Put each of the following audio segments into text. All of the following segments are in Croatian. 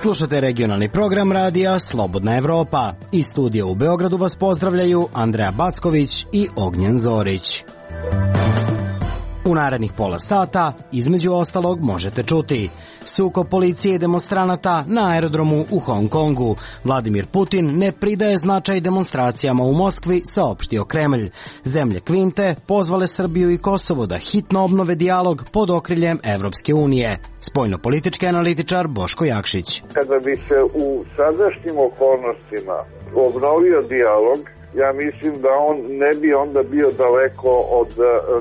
Slušate regionalni program radija Slobodna Evropa. Iz studija u Beogradu vas pozdravljaju Andreja Backović i Ognjen Zorić. U narednih pola sata, između ostalog, možete čuti sukob policije i demonstranata na aerodromu u Hong Kongu. Vladimir Putin ne pridaje značaj demonstracijama u Moskvi, saopštio Kremlj. Zemlje Kvinte pozvale Srbiju i Kosovo da hitno obnove dijalog pod okriljem Evropske unije. Spoljnopolitički analitičar Boško Jakšić. Kada bi se u sadašnjim okolnostima obnovio dijalog, ja mislim da on ne bi onda bio daleko od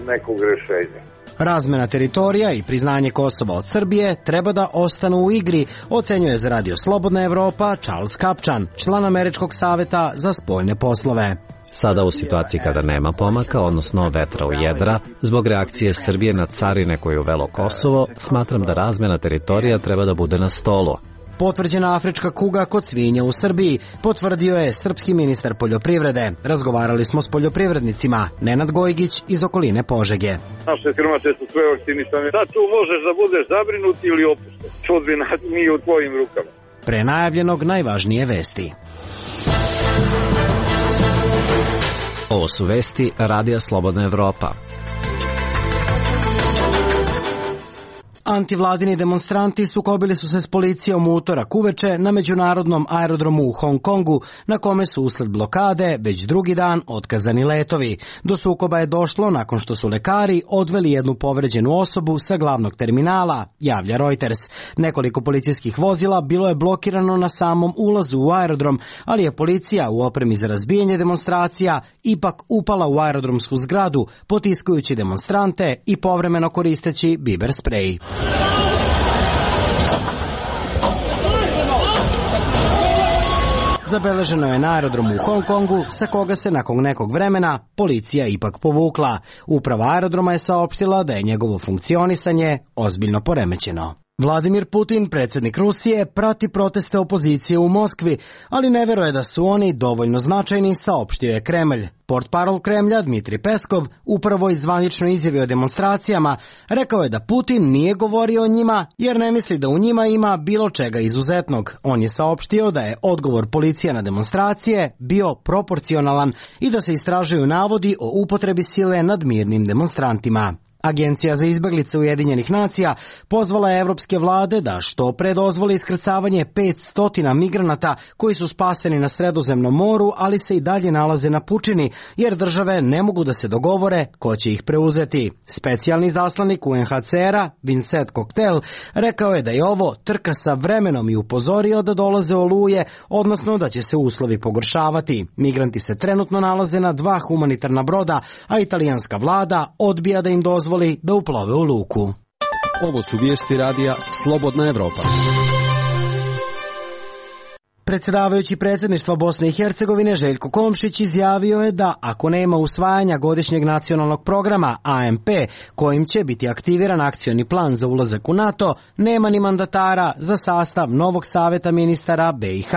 nekog rešenja. Razmena teritorija i priznanje Kosova od Srbije treba da ostanu u igri, ocenjuje za Radio Slobodna Evropa Charles Kapčan, član Američkog saveta za spoljne poslove. Sada u situaciji kada nema pomaka, odnosno vetra u jedra, zbog reakcije Srbije na carine koje je uvelo Kosovo, smatram da razmena teritorija treba da bude na stolu. Potvrđena afrička kuga kod svinja u Srbiji, potvrdio je srpski ministar poljoprivrede. Razgovarali smo s poljoprivrednicima. Nenad Gojgić iz okoline Požege. Naše krmače su sve vakcinisane. Da tu možeš da budeš zabrinut ili opušten. Sudbina nije u tvojim rukama. Pre najavljenog najvažnije vesti. Ovo su vesti Radija Slobodna Evropa. Antivladini demonstranti sukobili su se s policijom u utorak uveče na međunarodnom aerodromu u Hong Kongu, na kome su usled blokade već drugi dan otkazani letovi. Do sukoba je došlo nakon što su lekari odveli jednu povređenu osobu sa glavnog terminala, javlja Reuters. Nekoliko policijskih vozila bilo je blokirano na samom ulazu u aerodrom, ali je policija u opremi za razbijanje demonstracija ipak upala u aerodromsku zgradu, potiskujući demonstrante i povremeno koristeći biber sprej. Zabeleženo je na aerodromu u Hong Kongu, sa koga se nakon nekog vremena policija ipak povukla. Uprava aerodroma je saopštila da je njegovo funkcionisanje ozbiljno poremećeno. Vladimir Putin, predsjednik Rusije, prati proteste opozicije u Moskvi, ali ne veruje da su oni dovoljno značajni, saopštio je Kremlj. Portparol Kremlja Dmitri Peskov upravo zvanično izjavio o demonstracijama, rekao je da Putin nije govorio o njima jer ne misli da u njima ima bilo čega izuzetnog. On je saopštio da je odgovor policije na demonstracije bio proporcionalan i da se istražuju navodi o upotrebi sile nad mirnim demonstrantima. Agencija za izbeglice Ujedinjenih nacija pozvala je evropske vlade da što pre dozvole iskrcavanje 500 migranata koji su spaseni na Sredozemnom moru, ali se i dalje nalaze na pučini, jer države ne mogu da se dogovore ko će ih preuzeti. Specijalni zaslanik UNHCR-a, Vincent Cocktail, rekao je da je ovo trka sa vremenom i upozorio da dolaze oluje, odnosno da će se uslovi pogoršavati. Migranti se trenutno nalaze na 2 humanitarna broda, a italijanska vlada odbija da im dozvoli da uplove u luku. Ovo su vijesti radija Slobodna Evropa. Predsjedavajući predsjedništva Bosne i Hercegovine Željko Komšić izjavio je da ako nema usvajanja godišnjeg nacionalnog programa AMP kojim će biti aktiviran akcioni plan za ulazak u NATO, nema ni mandatara za sastav novog saveta ministara BiH.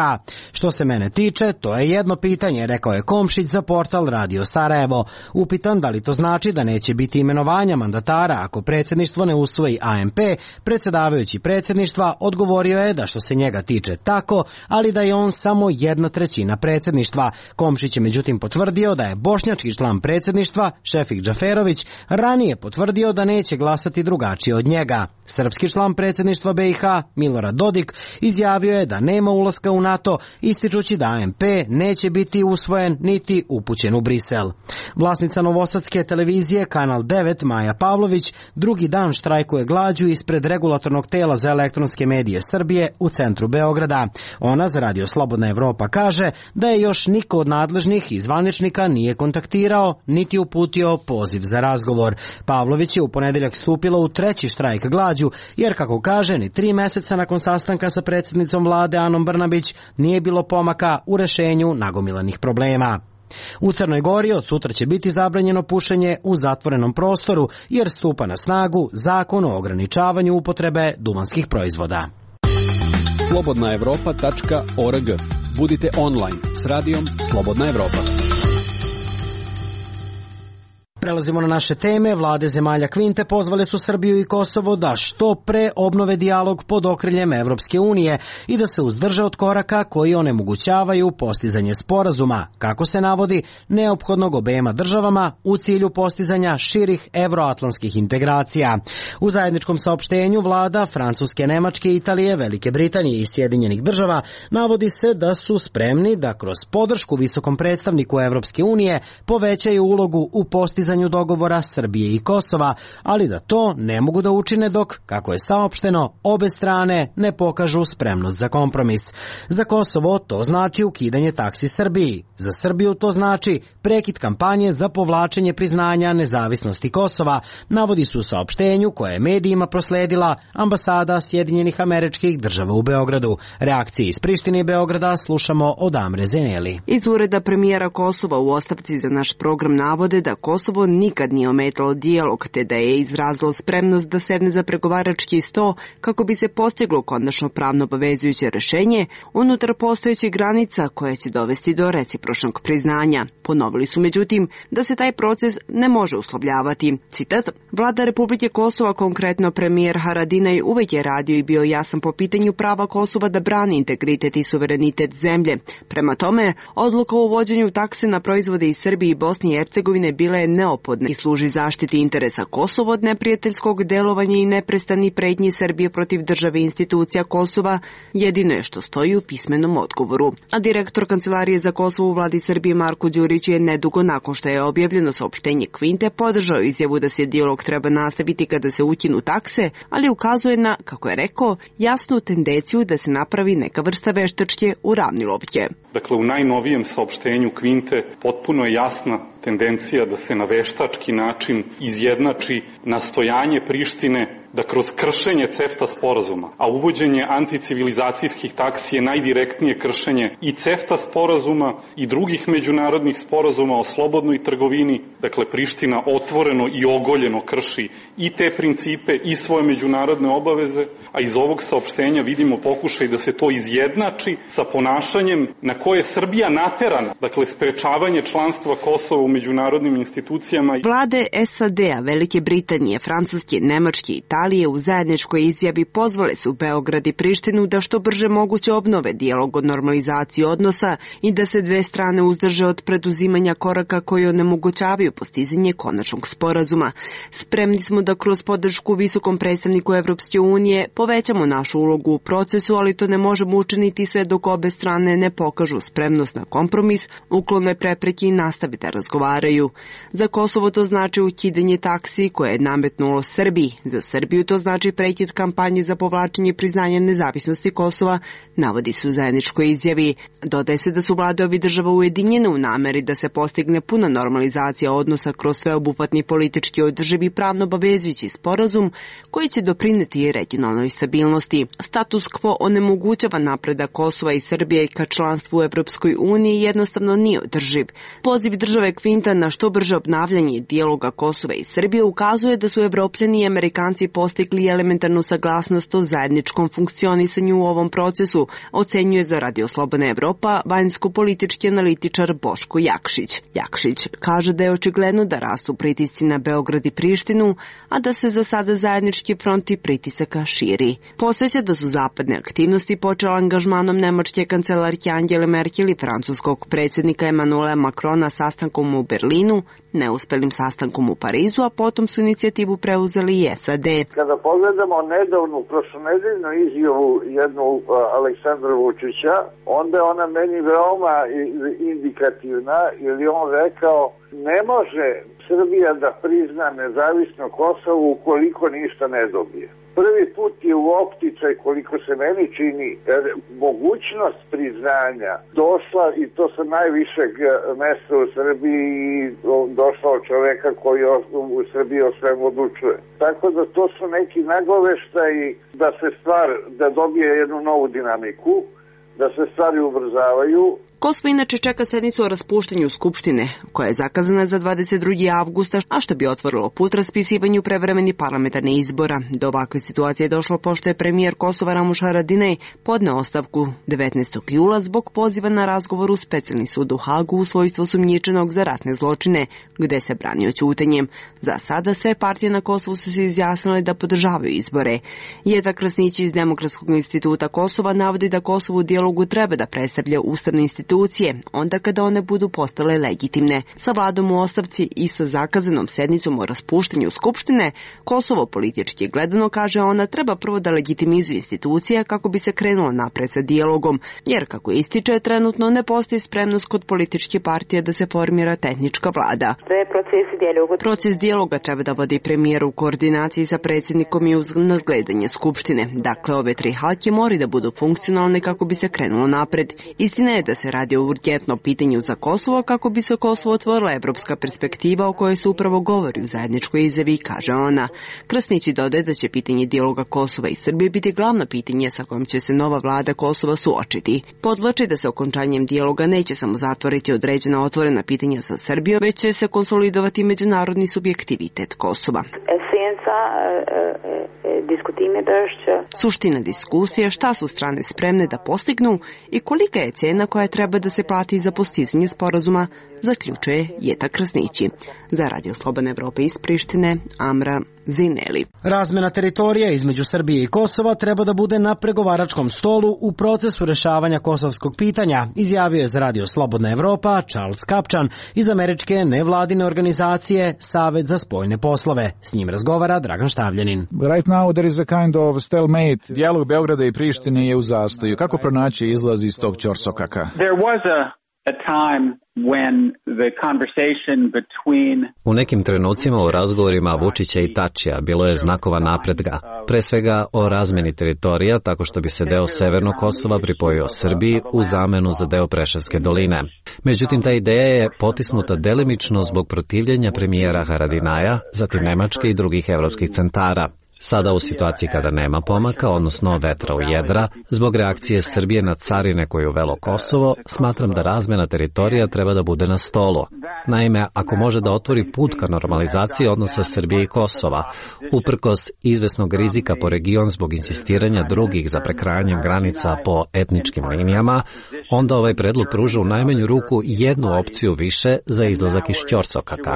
Što se mene tiče, to je jedno pitanje, rekao je Komšić za portal Radio Sarajevo. Upitan da li to znači da neće biti imenovanja mandatara ako predsjedništvo ne usvoji AMP, predsjedavajući predsjedništva odgovorio je da što se njega tiče tako, ali da je on samo 1/3 predsjedništva. Komšić je međutim potvrdio da je bošnjački član predsjedništva, Šefik Džaferović, ranije potvrdio da neće glasati drugačije od njega. Srpski član predsjedništva BiH, Milorad Dodik, izjavio je da nema ulaska u NATO, ističući da AMP neće biti usvojen niti upućen u Brisel. Vlasnica novosadske televizije Kanal 9, Maja Pavlović, drugi dan štrajkuje glađu ispred regulatornog tela za elektronske medije Srbije u centru Beograda. Ona za Radio Slobodna Evropa kaže da je još niko od nadležnih i zvaničnika nije kontaktirao niti uputio poziv za razgovor. Pavlović je u ponedeljak stupila u 3. štrajk glađu, jer kako kaže, ni 3 meseca nakon sastanka sa predsjednicom vlade Anom Brnabić nije bilo pomaka u rešenju nagomilanih problema. U Crnoj Gori od sutra će biti zabranjeno pušenje u zatvorenom prostoru, jer stupa na snagu zakon o ograničavanju upotrebe duvanskih proizvoda. slobodnaevropa.org. Budite online s radijom Slobodna Evropa. Prelazimo na naše teme. Vlade zemalja Kvinte pozvale su Srbiju i Kosovo da što pre obnove dijalog pod okriljem Evropske unije i da se uzdrže od koraka koji onemogućavaju postizanje sporazuma, kako se navodi, neophodnog obema državama u cilju postizanja širih evroatlantskih integracija. U zajedničkom saopštenju vlada Francuske, Nemačke, Italije, Velike Britanije i Sjedinjenih država navodi se da su spremni da kroz podršku visokom predstavniku Evropske unije povećaju ulogu u postizanju dogovora Srbije i Kosova, ali da to ne mogu da učine dok, kako je saopšteno, obe strane ne pokažu spremnost za kompromis. Za Kosovo to znači ukidanje taksi Srbiji. Za Srbiju to znači prekid kampanje za povlačenje priznanja nezavisnosti Kosova, navodi se u saopštenju koje je medijima prosledila ambasada Sjedinjenih Američkih Država u Beogradu. Reakcije iz Prištine i Beograda slušamo od Amre Zeneli. Iz ureda premijera Kosova u ostavci za naš program navode da Kosovo nikad nije ometalo dijalog, te da je izrazilo spremnost da sedne za pregovarački sto kako bi se postiglo konačno pravno obavezujuće rešenje unutar postojećih granica koje će dovesti do recipročnog priznanja. Ponovili su međutim da se taj proces ne može uslovljavati. Citat: Vlada Republike Kosova, konkretno premijer Haradinaj, uvek je radio i bio jasan po pitanju prava Kosova da brani integritet i suverenitet zemlje. Prema tome, odluka o uvođenju takse na proizvode iz Srbije i Bosne i Hercegovine bila je neophodna i služi zaštiti interesa Kosova od neprijateljskog delovanja i neprestani pretnji Srbije protiv države i institucija Kosova, jedino je što stoji u pismenom odgovoru. A direktor Kancelarije za Kosovo u vladi Srbije Marko Đurić je nedugo nakon što je objavljeno saopštenje Kvinte podržao izjavu da se dijalog treba nastaviti kada se ukinu takse, ali ukazuje na, kako je rekao, jasnu tendenciju da se napravi neka vrsta veštačke uravnilovke. Dakle, u najnovijem saopštenju Kvinte potpuno je jasna tendencija da se na veštački način izjednači nastojanje Prištine da kroz kršenje CEFTA sporazuma, a uvođenje anticivilizacijskih taksi je najdirektnije kršenje i CEFTA sporazuma i drugih međunarodnih sporazuma o slobodnoj trgovini, dakle Priština otvoreno i ogoljeno krši i te principe i svoje međunarodne obaveze, a iz ovog saopštenja vidimo pokušaj da se to izjednači sa ponašanjem na koje je Srbija naterana, dakle sprečavanje članstva Kosova u međunarodnim institucijama. Vlade SAD-a, Velike Britanije, Francuske, Nemačke i Italije u zajedničkoj izjavi pozvale su Beograd i Prištinu da što brže moguće obnove dijalog o normalizaciji odnosa i da se dve strane uzdrže od preduzimanja koraka koji onemogućavaju postizanje konačnog sporazuma. Spremni smo da kroz podršku visokom predstavniku Evropske unije povećamo našu ulogu u procesu, ali to ne možemo učiniti sve dok obe strane ne pokažu spremnost na kompromis, uklone prepreke i nastave da razgovaraju. Za Kosovo to znači ukidanje taksi koje je nametnulo Srbiji. Za Srbiju to znači prekid kampanje za povlačenje priznanja nezavisnosti Kosova, navodi se u zajedničkoj izjavi. Dodaje se da su vlade ovih država ujedinjene u nameri da se postigne puna normalizacija odnosa kroz sveobuhvatni politički održivi pravno obavezujući sporazum koji će doprineti regionalnoj stabilnosti. Status quo onemogućava napredak Kosova i Srbije ka članstvu u Evropskoj uniji jednostavno nije održiv. Poziv države Kvinta na što brže obnavljanje dijaloga Kosova i Srbije ukazuje da su Evropljani i Amerikanci postigli elementarnu saglasnost o zajedničkom funkcionisanju u ovom procesu, ocenjuje za Radio Slobodna Evropa vanjsko-politički analitičar Boško Jakšić. Jakšić kaže da je očigledno da rastu pritisci na Beograd i Prištinu, a da se za sada zajednički fronti pritisaka širi. Podseća da su zapadne aktivnosti počele angažmanom nemačke kancelarke Angele Merkel i francuskog predsjednika Emmanuela Macrona sastankom u Berlinu, neuspelim sastankom u Parizu, a potom su inicijativu preuzeli i SAD. Kada pogledamo nedavnu prošlonedeljnu izjavu jednu Aleksandra Vučića, onda je ona meni veoma indikativna, jer je on rekao ne može Srbija da prizna nezavisno Kosovo ukoliko ništa ne dobije. Prvi put je u opticaj, koliko se meni čini, mogućnost priznanja došla i to sa najvišeg mesta u Srbiji i došla od čoveka koji u Srbiji o svemu odlučuje. Tako da to su neki nagoveštaji da dobije jednu novu dinamiku, da se stvari ubrzavaju. Kosovo inače čeka sednicu o raspuštanju Skupštine, koja je zakazana za 22. avgusta, a što bi otvorilo put raspisivanju prevremenih parlamentarnih izbora. Do ovakve situacije je došlo pošto je premijer Kosova Ramuš Haradinaj podneo ostavku 19. jula zbog poziva na razgovor u specijalni sud u Hagu u svojstvu osumnjičenog za ratne zločine, gde se branio ćutanjem. Za sada sve partije na Kosovu su se izjasnile da podržavaju izbore. Jeta Krasnić iz Demokratskog instituta Kosova navodi da Kosovo u dijalogu treba da predstavlja ustavne institucije, onda kada one budu postale legitimne. Sa vladom u ostavci i sa zakazanom sednicom o raspuštanju Skupštine, Kosovo politički gledano, kaže ona, treba prvo da legitimizuje institucije kako bi se krenulo napred sa dijalogom, jer kako ističe, trenutno ne postoji spremnost kod političke partije da se formira tehnička vlada. Proces dijaloga treba da vodi premijer u koordinaciji sa predsjednikom i uz nadgledanje Skupštine. Dakle, ove tri halke moraju da budu funkcionalne kako bi se krenulo napred. Istina je da se radi o urgentnom pitanju za Kosovo kako bi se Kosovo otvorila evropska perspektiva o kojoj se upravo govori u zajedničkoj izjavi, kaže ona. Krasnić dodaje da će pitanje dijaloga Kosova i Srbije biti glavno pitanje sa kojim će se nova vlada Kosova suočiti. Podvlači da se okončanjem dijaloga neće samo zatvoriti određena otvorena pitanja sa Srbijom, već će se konsolidovati međunarodni subjektivitet Kosova. Suština diskusije šta su strane spremne da postignu i kolika je cena koja treba da se plati za postizanje sporazuma, zaključuje Jeta Krasnići. Za Radio Slobodna Evropa iz Prištine, Amra Zineli. Razmena teritorija između Srbije i Kosova treba da bude na pregovaračkom stolu u procesu rešavanja kosovskog pitanja, izjavio je za Radio Slobodna Evropa Charles Kapčan iz američke nevladine organizacije Savet za spoljne poslove. S njim razgovara Dragan Štavljanin. Right now there is a kind of stalemate. Dijalog Beograda i Prištine je u zastoju. Kako pronaći izlaz iz tog ćorsokaka? There was a time when the conversation between... U nekim trenucima u razgovorima Vučića i Tačija bilo je znakova napretka, pre svega o razmeni teritorija, tako što bi se deo Severnog Kosova pripojio Srbiji u zamenu za deo Preševske doline. Međutim, ta ideja je potisnuta delimično zbog protivljenja premijera Haradinaja, zatim Nemačke i drugih evropskih centara. Sada u situaciji kada nema pomaka, odnosno vetra u jedra, zbog reakcije Srbije na carine koju uvelo Kosovo, smatram da razmena teritorija treba da bude na stolu. Naime, ako može da otvori put ka normalizaciji odnosa Srbije i Kosova, uprkos izvesnog rizika po region zbog insistiranja drugih za prekrajanjem granica po etničkim linijama, onda ovaj predlog pruža u najmanju ruku jednu opciju više za izlazak iz ćorsokaka.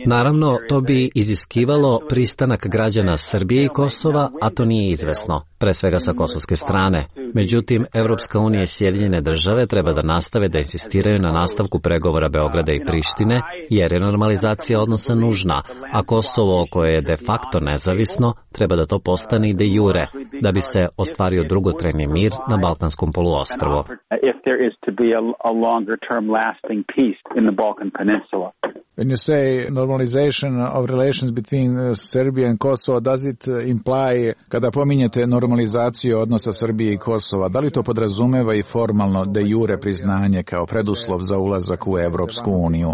Naravno, to bi iziskivalo pristanak građana Srbije i Kosova, a to nije izvesno, pre svega sa kosovske strane. Međutim, Evropska unija i Sjedinjene države treba da nastave da insistiraju na nastavku pregovora Beograda i Prištine, jer je normalizacija odnosa nužna, a Kosovo, koje je de facto nezavisno, treba da to postane i de jure, da bi se ostvario dugotrajni mir na Balkanskom poluostrvu. When you say normalization of relations between Serbia and Kosovo, does it imply, kada pominjete normalizaciju odnosa Srbije i Kosova, da li to podrazumeva i formalno de jure priznanje kao preduslov za ulazak u Evropsku uniju?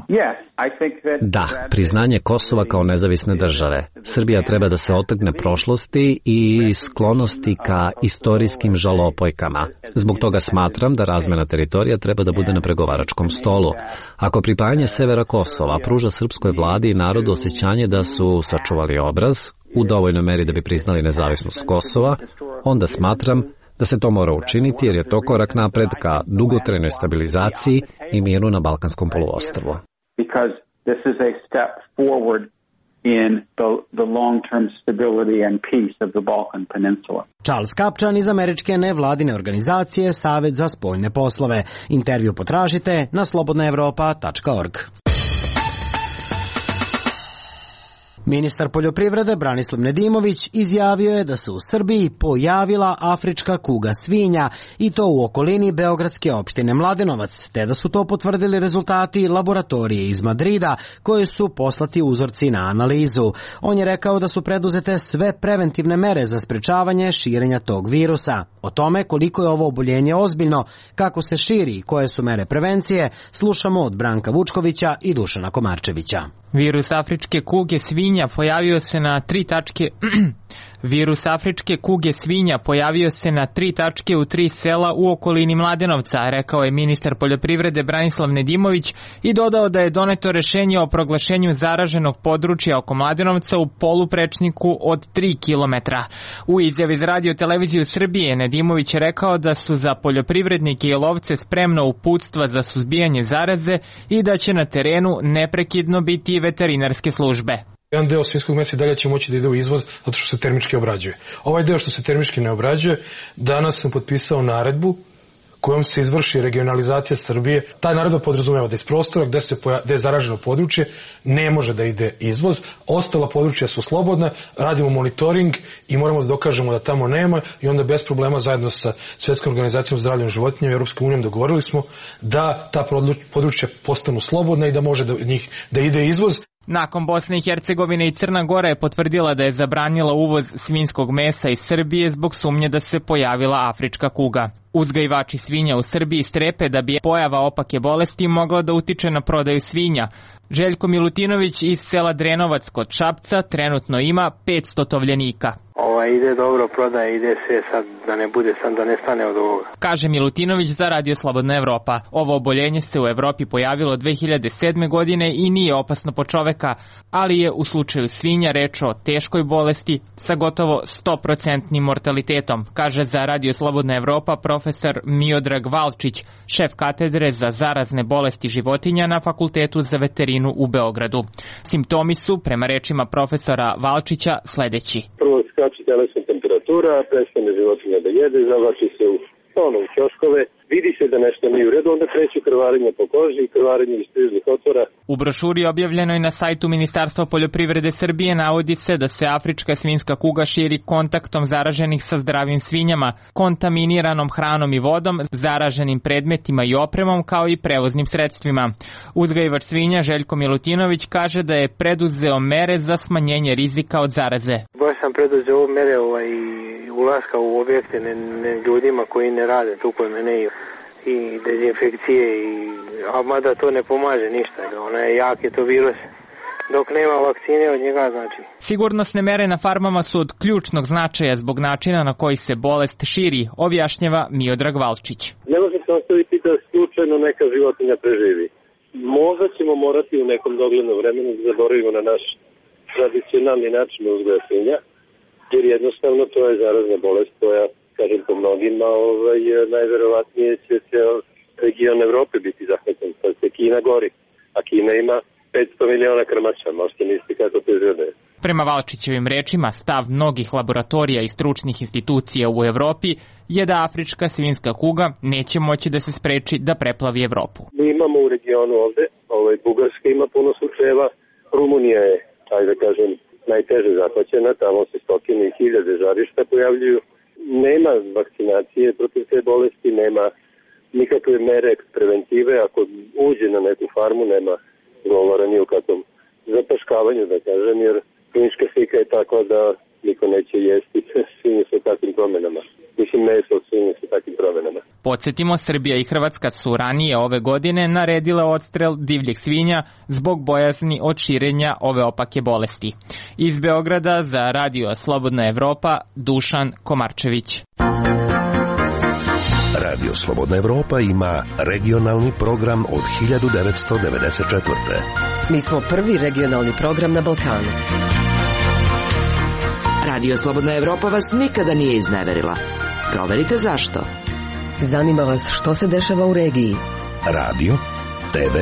Da, priznanje Kosova kao nezavisne države. Srbija treba da se otrgne prošlosti i sklonosti ka istorijskim žalopojkama. Zbog toga smatram da razmena teritorija treba da bude na pregovaračkom stolu. Ako pripajanje severa Kosova pruža srpskoj vladi i narodu osjećanje da su sačuvali obraz u dovoljnoj meri da bi priznali nezavisnost Kosova, onda smatram da se to mora učiniti jer je to korak napred ka dugotrajnoj stabilizaciji i miru na Balkanskom poluostrvu. Charles Kapčan iz američke nevladine organizacije Savet za spoljne poslove. Intervju potražite na slobodnaevropa.org. Ministar poljoprivrede Branislav Nedimović izjavio je da se u Srbiji pojavila afrička kuga svinja i to u okolini beogradske opštine Mladenovac, te da su to potvrdili rezultati laboratorije iz Madrida koji su poslati uzorci na analizu. On je rekao da su preduzete sve preventivne mere za sprečavanje širenja tog virusa. O tome koliko je ovo oboljenje ozbiljno, kako se širi i koje su mere prevencije, slušamo od Branka Vučkovića i Dušana Komarčevića. Virus afričke kuge svinja pojavio se na 3 tačke Virus afričke kuge svinja pojavio se na 3 tačke u 3 sela u okolini Mladenovca, rekao je ministar poljoprivrede Branislav Nedimović i dodao da je doneto rešenje o proglašenju zaraženog područja oko Mladenovca u poluprečniku od 3 kilometra. U izjavi za Radio televiziju Srbije Nedimović je rekao da su za poljoprivrednike i lovce spremna uputstva za suzbijanje zaraze i da će na terenu neprekidno biti i veterinarske službe. Jedan deo svinjskog mesa i dalje će moći da ide u izvoz zato što se termički obrađuje. Ovaj deo što se termički ne obrađuje, danas sam potpisao naredbu kojom se izvrši regionalizacija Srbije. Ta naredba podrazumeva da iz prostora gde je zaraženo područje ne može da ide izvoz. Ostala područja su slobodna, radimo monitoring i moramo da dokažemo da tamo nema i onda bez problema zajedno sa Svetskom organizacijom zdravlja životinja i Europskom unijom dogovorili smo da ta područja postanu slobodna i da može da ide izvoz. Nakon Bosne i Hercegovine i Crna Gora je potvrdila da je zabranila uvoz svinjskog mesa iz Srbije zbog sumnje da se pojavila afrička kuga. Uzgajivači svinja u Srbiji strepe da bi pojava opake bolesti mogla da utiče na prodaju svinja. Željko Milutinović iz sela Drenovac kod Šapca trenutno ima 500 tovljenika. Ide dobro, prodaje, ide sve sad da ne bude, sam da ne stane od ovoga. Kaže Milutinović za Radio Slobodna Evropa. Ovo oboljenje se u Evropi pojavilo 2007. godine i nije opasno po čoveka, ali je u slučaju svinja reč o teškoj bolesti sa gotovo 100% mortalitetom, kaže za Radio Slobodna Evropa profesor Miodrag Valčić, šef katedre za zarazne bolesti životinja na Fakultetu za veterinu u Beogradu. Simptomi su, prema rečima profesora Valčića, sledeći. Prvo skače telesna temperatura, prestane životinja da jede, zavlači se u ćoškove, vidi se da nešto nije u redu, onda kreću krvarenje po koži i krvarenje iz prižnih otvora. U brošuri objavljenoj na sajtu Ministarstva poljoprivrede Srbije navodi se da se afrička svinjska kuga širi kontaktom zaraženih sa zdravim svinjama, kontaminiranom hranom i vodom, zaraženim predmetima i opremom kao i prevoznim sredstvima. Uzgajivač svinja Željko Milutinović kaže da je preduzeo mere za smanjenje rizika od zaraze. Baš sam preduzeo mere ulaska u objekte ljudima koji ne rade tu kod mene i dezinfekcije, a mada to ne pomaže ništa, jak je to virus. Dok nema vakcine od njega, znači. Sigurnosne mere na farmama su od ključnog značaja zbog načina na koji se bolest širi, objašnjava Miodrag Valčić. Ne može se ostaviti da slučajno neka životinja preživi. Možda ćemo morati u nekom doglednom vremenu da zaboravimo na naš tradicionalni način uzgoja svinja, jer jednostavno to je zarazna bolest koja, kažem po mnogima, najverovatnije će ceo region Evrope biti zahvaćen. Sad se Kina gori, a Kina ima 500 miliona krmača, možete misliti kako to izgleda. Prema Valčićevim rečima, stav mnogih laboratorija i stručnih institucija u Evropi je da afrička svinjska kuga neće moći da se spreči da preplavi Evropu. Mi imamo u regionu ovde, Bugarska ima puno slučajeva, Rumunija je, ajde da kažem, najteže zahvaćena, tamo se stotine i hiljade žarišta pojavljuju. Nema vakcinacije protiv te bolesti, nema nikakve mere preventive, ako uđe na neku farmu nema govora ni o kakvom zapaškavanju, da kažem, jer klinička slika je takva da niko neće jesti svinje sa takvim promenama. Mislim, meso od svinje sa takvim promenama. Podsjetimo, Srbija i Hrvatska su ranije ove godine naredile odstrel divljeg svinja zbog bojazni od širenja ove opake bolesti. Iz Beograda za Radio Slobodna Evropa, Dušan Komarčević. Radio Slobodna Evropa ima regionalni program od 1994. Mi smo prvi regionalni program na Balkanu. Radio Slobodna Evropa vas nikada nije izneverila. Proverite zašto. Zanima vas što se dešava u regiji. Radio, TV,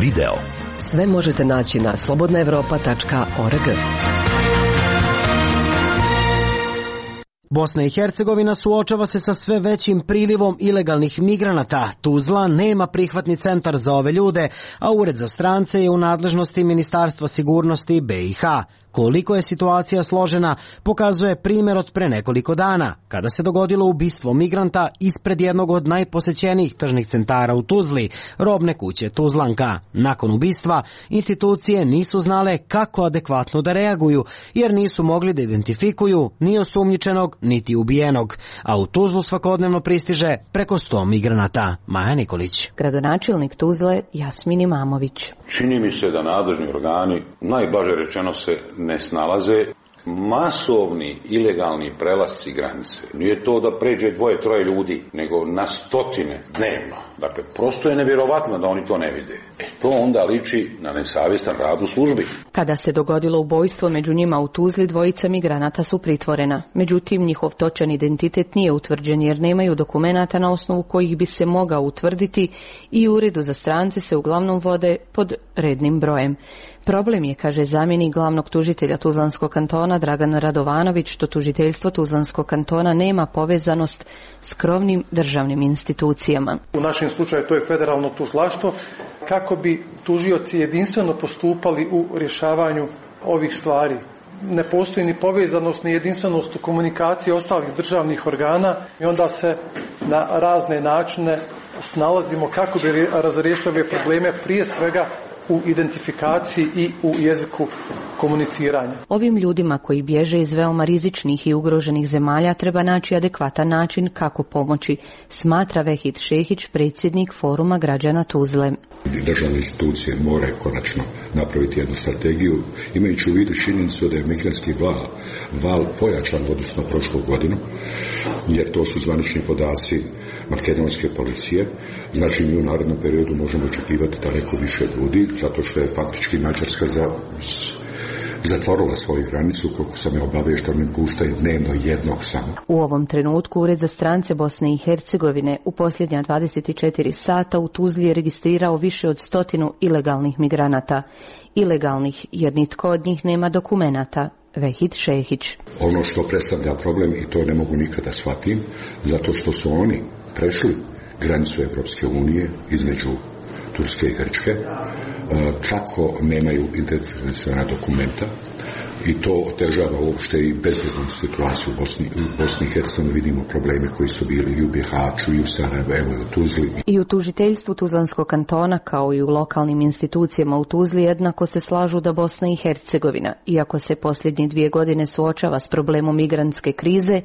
video. Sve možete naći na slobodnaevropa.org. Bosna i Hercegovina suočava se sa sve većim prilivom ilegalnih migranata. Tuzla nema prihvatni centar za ove ljude, a Ured za strance je u nadležnosti Ministarstva sigurnosti BiH. Koliko je situacija složena, pokazuje primjer od pre nekoliko dana, kada se dogodilo ubistvo migranta ispred jednog od najposećenijih tržnih centara u Tuzli, robne kuće Tuzlanka. Nakon ubistva, institucije nisu znale kako adekvatno da reaguju, jer nisu mogli da identifikuju ni osumnjičenog, niti ubijenog. A u Tuzlu svakodnevno pristiže preko 100 migranata. Maja Nikolić. Gradonačelnik Tuzle Jasmin Imamović. Čini mi se da nadležni organi, najblaže rečeno, se ne snalaze Masovni ilegalni prelasci granice. Nije to da pređe 2-3 ljudi, nego na stotine dnevno. Dakle, prosto je nevjerovatno da oni to ne vide. To onda liči na nesavjestan rad u službi. Kada se dogodilo ubojstvo među njima u Tuzli, dvojica migranata su pritvorena. Međutim, njihov točan identitet nije utvrđen jer nemaju dokumenata na osnovu kojih bi se mogao utvrditi i u uredu za strance se uglavnom vode pod rednim brojem. Problem je, kaže zamjenik glavnog tužitelja Tuzlanskog kantona Dragan Radovanović, što tužiteljstvo Tuzlanskog kantona nema povezanost s krovnim državnim institucijama. U našem slučaju to je federalno tužilaštvo, kako bi tužioci jedinstveno postupali u rješavanju ovih stvari. Ne postoji ni povezanost ni jedinstvenost u komunikaciji ostalih državnih organa i onda se na razne načine snalazimo kako bi razriješili ove probleme, prije svega u identifikaciji i u jeziku komuniciranja. Ovim ljudima koji bježe iz veoma rizičnih i ugroženih zemalja treba naći adekvatan način kako pomoći, smatra Vehid Šehić, predsjednik Foruma građana Tuzle. Državne institucije moraju konačno napraviti jednu strategiju, imajući u vidu činjenicu da je migrantski val pojačan odnosno prošlu godinu, jer to su zvanični podaci makedonske policije. Znači mi u narednom periodu možemo očekivati daleko više ljudi, zato što je faktički Mađarska zatvorila svoju granicu, koliko sam je obavješten, puštaju dnevno jednog samo. U ovom trenutku Ured za strance Bosne i Hercegovine u posljednja 24 sata u Tuzli je registrirao više od 100 ilegalnih migranata. Ilegalnih jer nitko od njih nema dokumenata. Vehid Šehić. Ono što predstavlja problem, i to ne mogu nikada shvatim, zato što su oni prešli granicu Evropske unije između Turske i Grčke, kako nemaju identifikaciona dokumenta, i to otežava uopšte i bezbednu situaciju u Bosni i Hercegovini. Vidimo probleme koji su bili i u Bihaću, i u Sarajevu, i u Tuzli. I u tužiteljstvu Tuzlanskog kantona, kao i u lokalnim institucijama u Tuzli, jednako se slažu da Bosna i Hercegovina, iako se posljednje 2 godine suočava s problemom migrantske krize,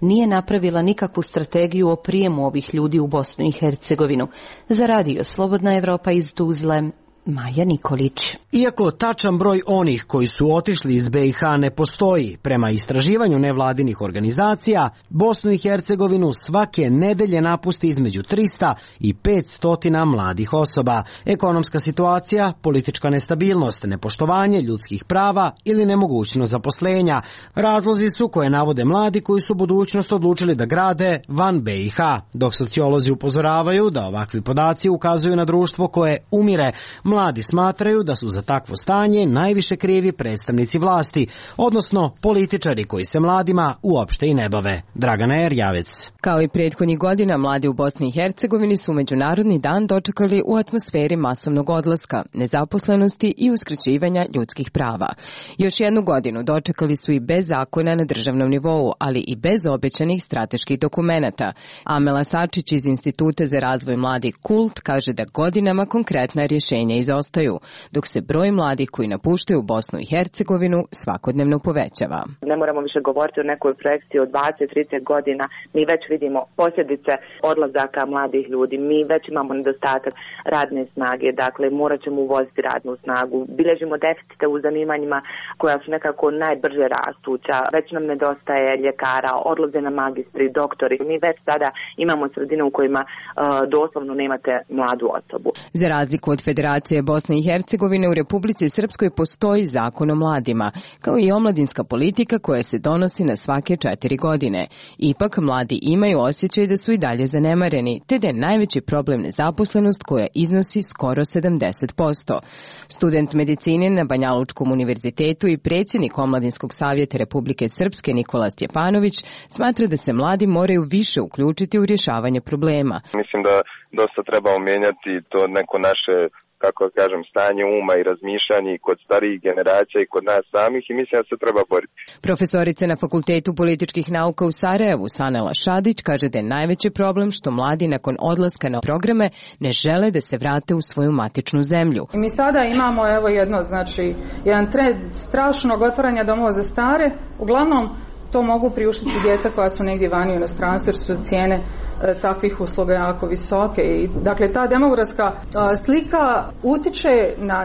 nije napravila nikakvu strategiju o prijemu ovih ljudi u Bosnu i Hercegovinu. Za radio Slobodna Evropa iz Tuzle, Maja Nikolić. Iako tačan broj onih koji su otišli iz BiH ne postoji, prema istraživanju nevladinih organizacija, Bosnu i Hercegovinu svake nedelje napusti između 300 i 500 mladih osoba. Ekonomska situacija, politička nestabilnost, nepoštovanje ljudskih prava ili nemogućnost zaposlenja. Razlozi su koje navode mladi koji su budućnost odlučili da grade van BiH, dok sociolozi upozoravaju da ovakvi podaci ukazuju na društvo koje umire. Mladi smatraju da su za takvo stanje najviše krivi predstavnici vlasti, odnosno političari koji se mladima uopšte i ne bave. Dragana Erjavec. Kao i prethodnih godina, mladi u Bosni i Hercegovini su Međunarodni dan dočekali u atmosferi masovnog odlaska, nezaposlenosti i uskraćivanja ljudskih prava. Još jednu godinu dočekali su i bez zakona na državnom nivou, ali i bez obećanih strateških dokumenata. Amela Sačić iz Instituta za razvoj mladih KULT kaže da godinama konkretna rješenja izostaju, dok se broj mladih koji napuštaju Bosnu i Hercegovinu svakodnevno povećava. Ne moramo više govoriti o nekoj projekciji od 20-30 godina. Mi već vidimo posljedice odlazaka mladih ljudi. Mi već imamo nedostatak radne snage. Dakle, morat ćemo uvoziti radnu snagu. Bilježimo deficite u zanimanjima koja su nekako najbrže rastuća. Već nam nedostaje ljekara, odlaze na magistri, doktori. Mi već sada imamo sredine u kojima doslovno nemate mladu osobu. Za razliku od Federacije Bosne i Hercegovine, u Republici Srpskoj postoji zakon o mladima, kao i omladinska politika koja se donosi na svake 4 godine. Ipak, mladi imaju osjećaj da su i dalje zanemareni, te da je najveći problem nezaposlenost koja iznosi skoro 70%. Student medicine na Banjalučkom univerzitetu i predsjednik Omladinskog savjeta Republike Srpske Nikola Stjepanović smatra da se mladi moraju više uključiti u rješavanje problema. Mislim da dosta treba mijenjati to neko naše, kako kažem, stanje uma i razmišljanje i kod starijih generacija i kod nas samih, i mislim da se treba boriti. Profesorica na Fakultetu političkih nauka u Sarajevu, Sanela Šadić, kaže da je najveći problem što mladi nakon odlaska na programe ne žele da se vrate u svoju matičnu zemlju. Mi sada imamo jedan trend strašnog otvaranja domova za stare. Uglavnom, to mogu priuštiti djeca koja su negdje vani u inostranstvu jer su cijene takvih usluga jako visoke. I, dakle, ta demografska slika utiče na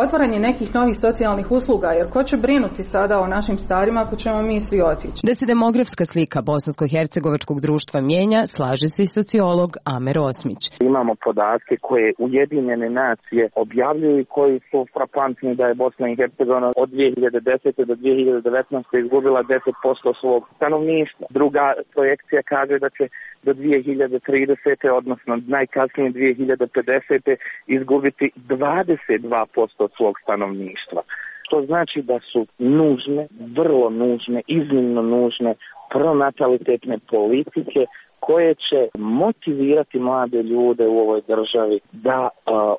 otvaranje nekih novih socijalnih usluga, jer ko će brinuti sada o našim starima ako ćemo mi svi otići? Da se demografska slika bosansko-hercegovačkog društva mijenja, slaže se i sociolog Amer Osmić. Imamo podatke koje Ujedinjene nacije objavljuju i koji su frapantni, da je Bosna i Hercegovina od 2010. do 2019. izgubila 10% svog stanovništva. Druga projekcija kaže da će do 2030. odnosno najkasnije 2050. izgubiti 22% svog stanovništva. To znači da su nužne, vrlo nužne, iznimno nužne pronatalitetne politike koje će motivirati mlade ljude u ovoj državi da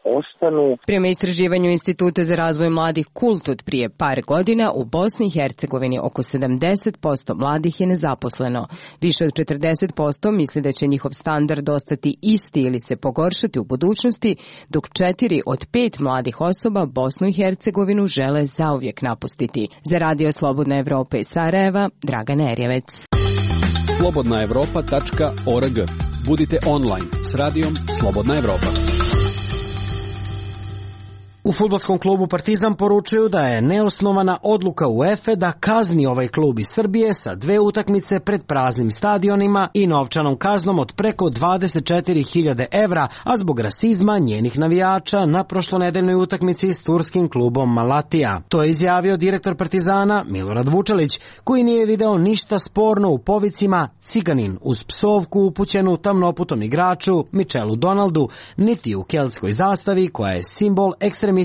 ostanu. Prema istraživanju Instituta za razvoj mladih KULT od prije par godina, u Bosni i Hercegovini oko 70% mladih je nezaposleno. Više od 40% misli da će njihov standard ostati isti ili se pogoršati u budućnosti, dok 4 od 5 mladih osoba Bosnu i Hercegovinu žele zauvijek napustiti. Za Radio Slobodna Evropa iz Sarajeva, Dragana Erjevec. slobodnaevropa.org. Budite online s radijom Slobodna Evropa. U fudbalskom klubu Partizan poručuju da je neosnovana odluka UEFA da kazni ovaj klub iz Srbije sa 2 utakmice pred praznim stadionima i novčanom kaznom od preko 24.000 evra, a zbog rasizma njenih navijača na prošlonedeljnoj utakmici s turskim klubom Malatija. To je izjavio direktor Partizana Milorad Vučelić, koji nije video ništa sporno u povicima ciganin uz psovku upućenu tamnoputom igraču Michelu Donaldu, niti u keltskoj zastavi koja je simbol ekstremističkih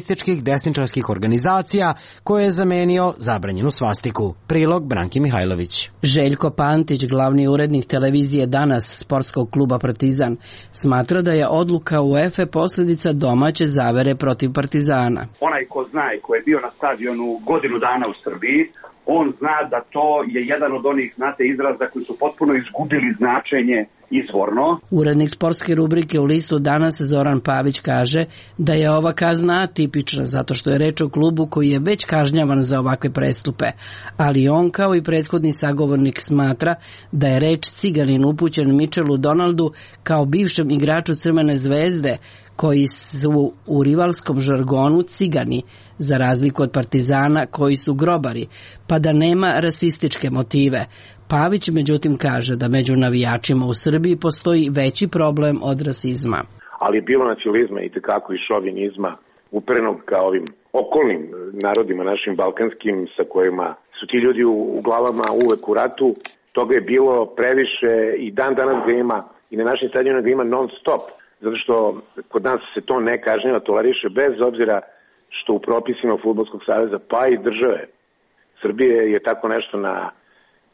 desničarskih organizacija koje je zamenio zabranjenu svastiku. Prilog Branki Mihajlović. Željko Pantić, glavni urednik televizije Danas sportskog kluba Partizan, smatra da je odluka UEFA posljedica domaće zavere protiv Partizana. Onaj ko zna i ko je bio na stadionu godinu dana u Srbiji, on zna da to je jedan od onih, znate, izraza koji su potpuno izgubili značenje izvorno. Urednik sportske rubrike u listu Danas Zoran Pavić kaže da je ova kazna atipična zato što je reč o klubu koji je već kažnjavan za ovakve prestupe, ali on kao i prethodni sagovornik smatra da je reč ciganin upućen Michelu Donaldu kao bivšem igraču Crvene zvezde, koji su u rivalskom žargonu cigani, za razliku od Partizana koji su grobari, pa da nema rasističke motive. Pavić međutim kaže da među navijačima u Srbiji postoji veći problem od rasizma. Ali je bilo nacionalizma i tekako i šovinizma uprenog ka ovim okolnim narodima našim balkanskim sa kojima su ti ljudi u glavama uvek u ratu. Toga je bilo previše i dan danas ga ima i na našim stadionima ga ima non stop. Zato što kod nas se to ne kažnjava, toleriše bez obzira što u propisima Fudbalskog saveza pa i države Srbije je tako nešto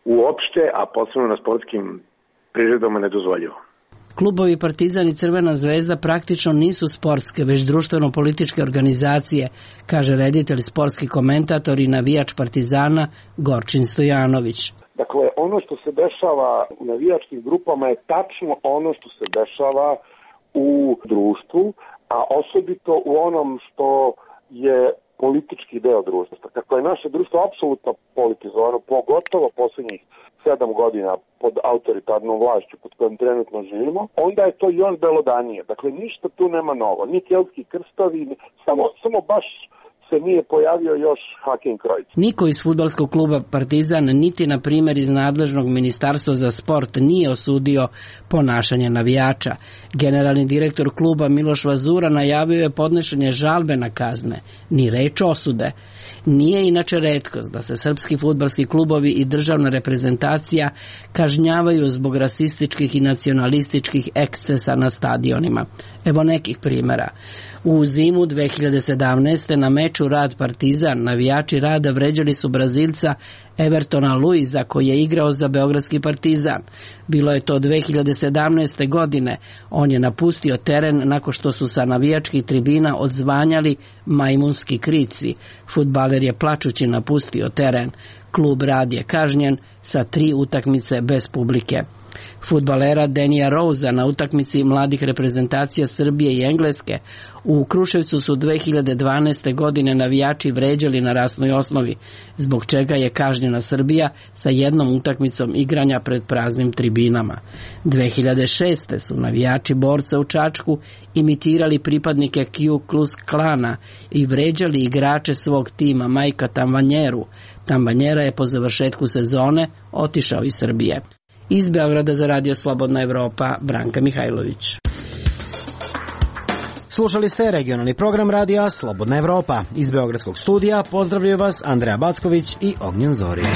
uopšte, a posebno na sportskim priredbama nedozvoljivo. Klubovi Partizan i Crvena zvezda praktično nisu sportske, već društveno-političke organizacije, kaže reditelj, sportski komentator i navijač Partizana Gorčin Stojanović. Dakle, ono što se dešava u navijačkim grupama je tačno ono što se dešava u društvu, a osobito u onom što je politički deo društva. Kako je naše društvo apsolutno politizovano, pogotovo posljednjih 7 godina pod autoritarnom vlašću pod kojom trenutno živimo, onda je to još belodanije. Dakle, ništa tu nema novo. Ni keltski krstovi, samo baš se nije pojavio još Hakim Krojc. Niko iz fudbalskog kluba Partizan, niti na primjer iz nadležnog ministarstva za sport, nije osudio ponašanje navijača. Generalni direktor kluba Miloš Vazura najavio je podnošenje žalbe na kazne, ni reč osude. Nije inače retkost da se srpski fudbalski klubovi i državna reprezentacija kažnjavaju zbog rasističkih i nacionalističkih ekscesa na stadionima. Evo nekih primjera. U zimu 2017. na meču Rad Partizan navijači Rada vređali su Brazilca Evertona Luiza koji je igrao za beogradski Partizan. Bilo je to 2017. godine. On je napustio teren nakon što su sa navijačkih tribina odzvanjali majmunski krici. Fudbaler je plačući napustio teren. Klub Rad je kažnjen sa 3 utakmice bez publike. Fudbalera Denija Rosa na utakmici mladih reprezentacija Srbije i Engleske u Kruševcu su 2012. godine navijači vređali na rasnoj osnovi, zbog čega je kažnjena Srbija sa jednom utakmicom igranja pred praznim tribinama. 2006. su navijači Borca u Čačku imitirali pripadnike Ku Klux Klana i vređali igrače svog tima Majka Tambanjeru. Tambanjera je po završetku sezone otišao iz Srbije. Iz Beograda za Radio Slobodna Evropa, Branka Mihajlović. Slušali ste regionalni program Radija Slobodna Evropa. Iz Beogradskog studija pozdravljaju vas Andreja Backović i Ognjen Zorić.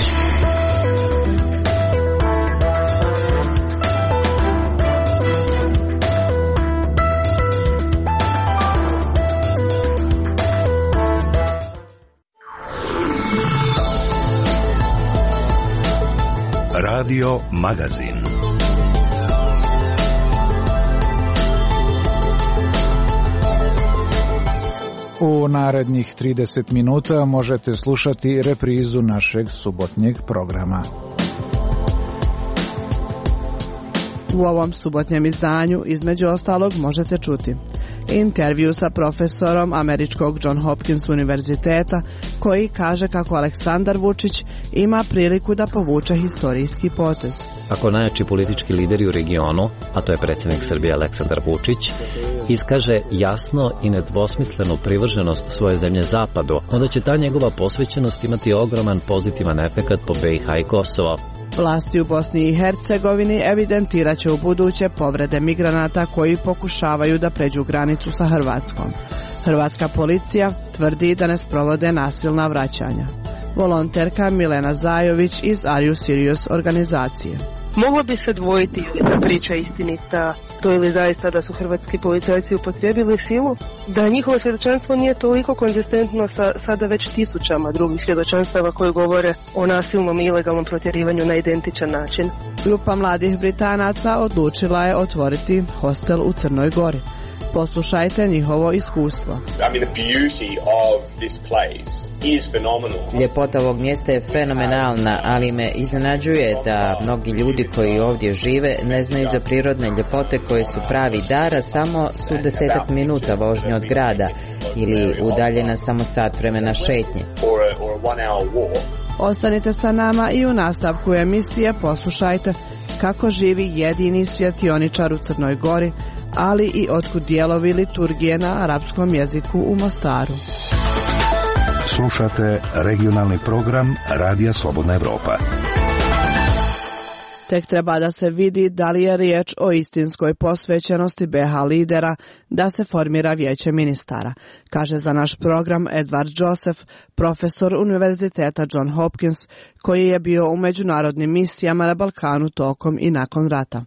Radio Magazin. U narednih 30 minuta možete slušati reprizu našeg subotnjeg programa. U ovom subotnjem izdanju između ostalog možete čuti intervju sa profesorom američkog John Hopkins univerziteta koji kaže kako Aleksandar Vučić ima priliku da povuče historijski potez. Ako najjači politički lideri u regionu, a to je predsjednik Srbije Aleksandar Vučić, iskaže jasno i nedvosmislenu privrženost svoje zemlje Zapadu, onda će ta njegova posvećenost imati ogroman pozitivan efekat po BiH i Kosovo. Vlasti u Bosni i Hercegovini evidentirat će u buduće povrede migranata koji pokušavaju da pređu granicu sa Hrvatskom. Hrvatska policija tvrdi da ne sprovode nasilna vraćanja. Volonterka Milena Zajović iz Are You Serious organizacije. Moglo bi se dvojiti ili ta priča istinita, to ili zaista da su hrvatski policajci upotrijebili silu, da njihovo svjedočanstvo nije toliko konzistentno sa sada već tisućama drugih svjedočanstava koji govore o nasilnom i ilegalnom protjerivanju na identičan način. Grupa mladih Britanaca odlučila je otvoriti hostel u Crnoj Gori. Poslušajte njihovo iskustvo. Ljepota ovog mjesta je fenomenalna, ali me iznenađuje da mnogi ljudi koji ovdje žive ne znaju za prirodne ljepote koje su pravi dar, a samo su 10 minuta vožnje od grada ili udaljena samo sat vremena šetnje. Ostanite sa nama i u nastavku emisije poslušajte kako živi jedini svjetioničar u Crnoj Gori, ali i otkud dijelovi liturgije na arapskom jeziku u Mostaru. Slušate regionalni program Radija Slobodna Evropa. Tek treba da se vidi da li je riječ o istinskoj posvećenosti BiH lidera da se formira vijeće ministara, kaže za naš program Edward Joseph, profesor Univerziteta John Hopkins, koji je bio u međunarodnim misijama na Balkanu tokom i nakon rata.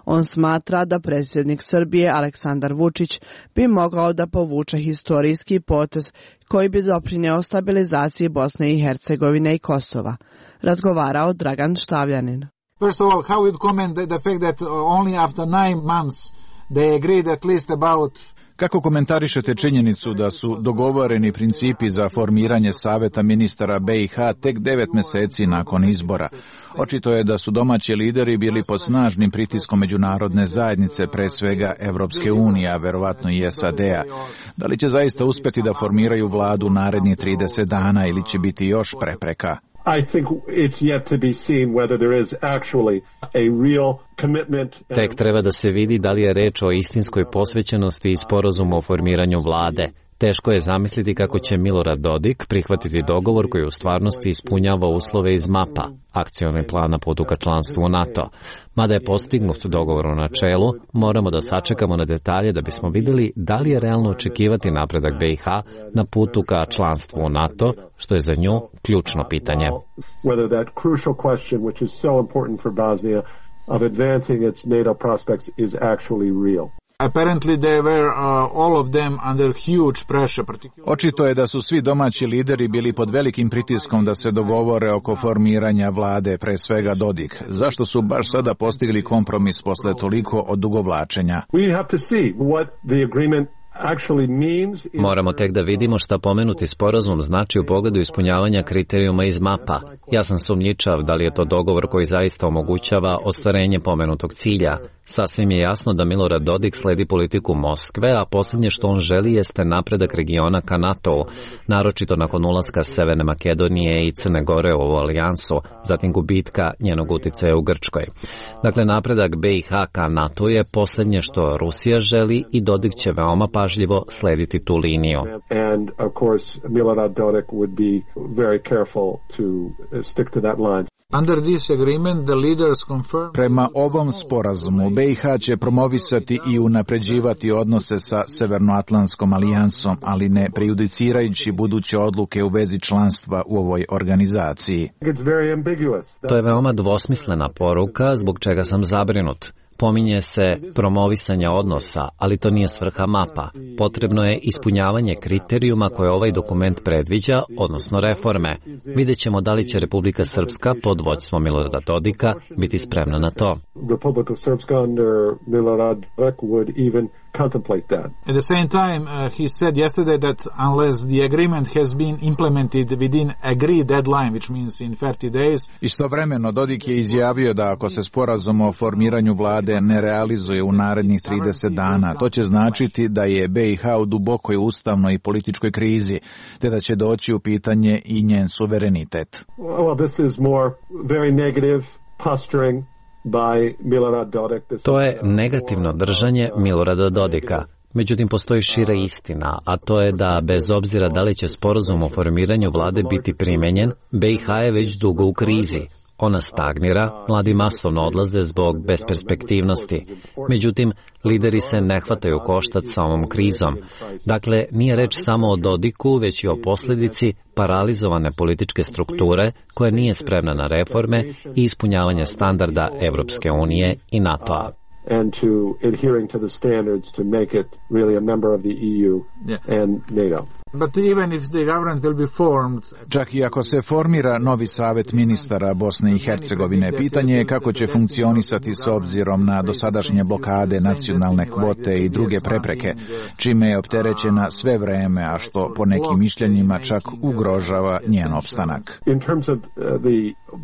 On smatra da predsjednik Srbije Aleksandar Vučić bi mogao da povuče historijski potez koji bi doprinjeo stabilizaciji Bosne i Hercegovine i Kosova. Razgovarao Dragan Štavljanin. First of all, how would you comment the fact that only after 9 months they agreed at least about... Kako komentarišete činjenicu da su dogovoreni principi za formiranje Saveta ministara BiH tek 9 mjeseci nakon izbora? Očito je da su domaći lideri bili pod snažnim pritiskom međunarodne zajednice, pre svega Evropske unije, a verovatno i SAD-a. Da li će zaista uspjeti da formiraju vladu narednih 30 dana ili će biti još prepreka? I think it's yet to be seen whether there is actually a real commitment. Tek treba da se vidi da li je reč o istinskoj posvećenosti i sporazumu o formiranju vlade. Teško je zamisliti kako će Milorad Dodik prihvatiti dogovor koji u stvarnosti ispunjava uslove iz MAP-a, akcioni plana putu ka članstvu u NATO. Mada je postignut dogovor u načelu, moramo da sačekamo na detalje da bismo vidjeli da li je realno očekivati napredak BiH na putu ka članstvu u NATO, što je za nju ključno pitanje. Whether that crucial question, which is so important for Bosnia, of advancing its NATO prospects is actually real. Apparently they were all of them under huge pressure. Očito je da su svi domaći lideri bili pod velikim pritiskom da se dogovore oko formiranja vlade, pre svega Dodik. Zašto su baš sada postigli kompromis posle toliko odugovlačenja? We have to see what the agreement Moramo tek da vidimo šta pomenuti sporazum znači u pogledu ispunjavanja kriterijuma iz MAP-a. Ja sam sumnjičav da li je to dogovor koji zaista omogućava ostvarenje pomenutog cilja. Sasvim je jasno da Milorad Dodik sledi politiku Moskve, a posljednje što on želi jeste napredak regiona ka NATO-u, naročito nakon ulaska Severne Makedonije i Crne Gore u ovu alijansu, zatim gubitka njenog uticaja u Grčkoj. Dakle, napredak BiH ka NATO je posljednje što Rusija želi i Dodik će veoma pažljivo slediti tu liniju. And of course Milorad Dodik would be very careful to stick to that line. Under this agreement, the leaders confirm... Prema ovom sporazumu, BiH će promovisati i unapređivati odnose sa Severnoatlantskom alijansom, ali ne prejudicirajući buduće odluke u vezi članstva u ovoj organizaciji. To je veoma dvosmislena poruka, zbog čega sam zabrinut. Pominje se promovisanje odnosa, ali to nije svrha MAP-a. Potrebno je ispunjavanje kriterijuma koje ovaj dokument predviđa, odnosno reforme. Vidjet ćemo da li će Republika Srpska pod vođstvom Milorada Dodika biti spremna na to. Republika Srpska under Milorad Dodik would even contemplate that. At the same time, he said yesterday that unless the agreement has been implemented within agreed deadline, which means in 30 days. Istovremeno Dodik je izjavio da ako se sporazum o formiranju vlade ne realizuje u narednih 30 dana, to će značiti da je BiH u dubokoj ustavnoj i političkoj krizi, te da će doći u pitanje i njen suverenitet. Well, this is more very negative posturing. To je negativno držanje Milorada Dodika. Međutim, postoji šira istina, a to je da bez obzira da li će sporazum o formiranju vlade biti primenjen, BiH je već dugo u krizi. Ona stagnira, mladi masovno odlaze zbog besperspektivnosti. Međutim, lideri se ne hvataju koštac sa ovom krizom. Dakle, nije reč samo o Dodiku, već i o posljedici paralizovane političke strukture koja nije spremna na reforme i ispunjavanje standarda Evropske unije i NATO-a. And to adhering to the standards to make it really a member of the EU and NATO. But even if the government will be formed, čak i ako se formira novi savet ministara Bosne i Hercegovine, pitanje je kako će funkcionisati s obzirom na dosadašnje blokade, nacionalne kvote i druge prepreke, čime je opterećena sve vreme, a što po nekim mišljenjima čak ugrožava njen opstanak. In terms of the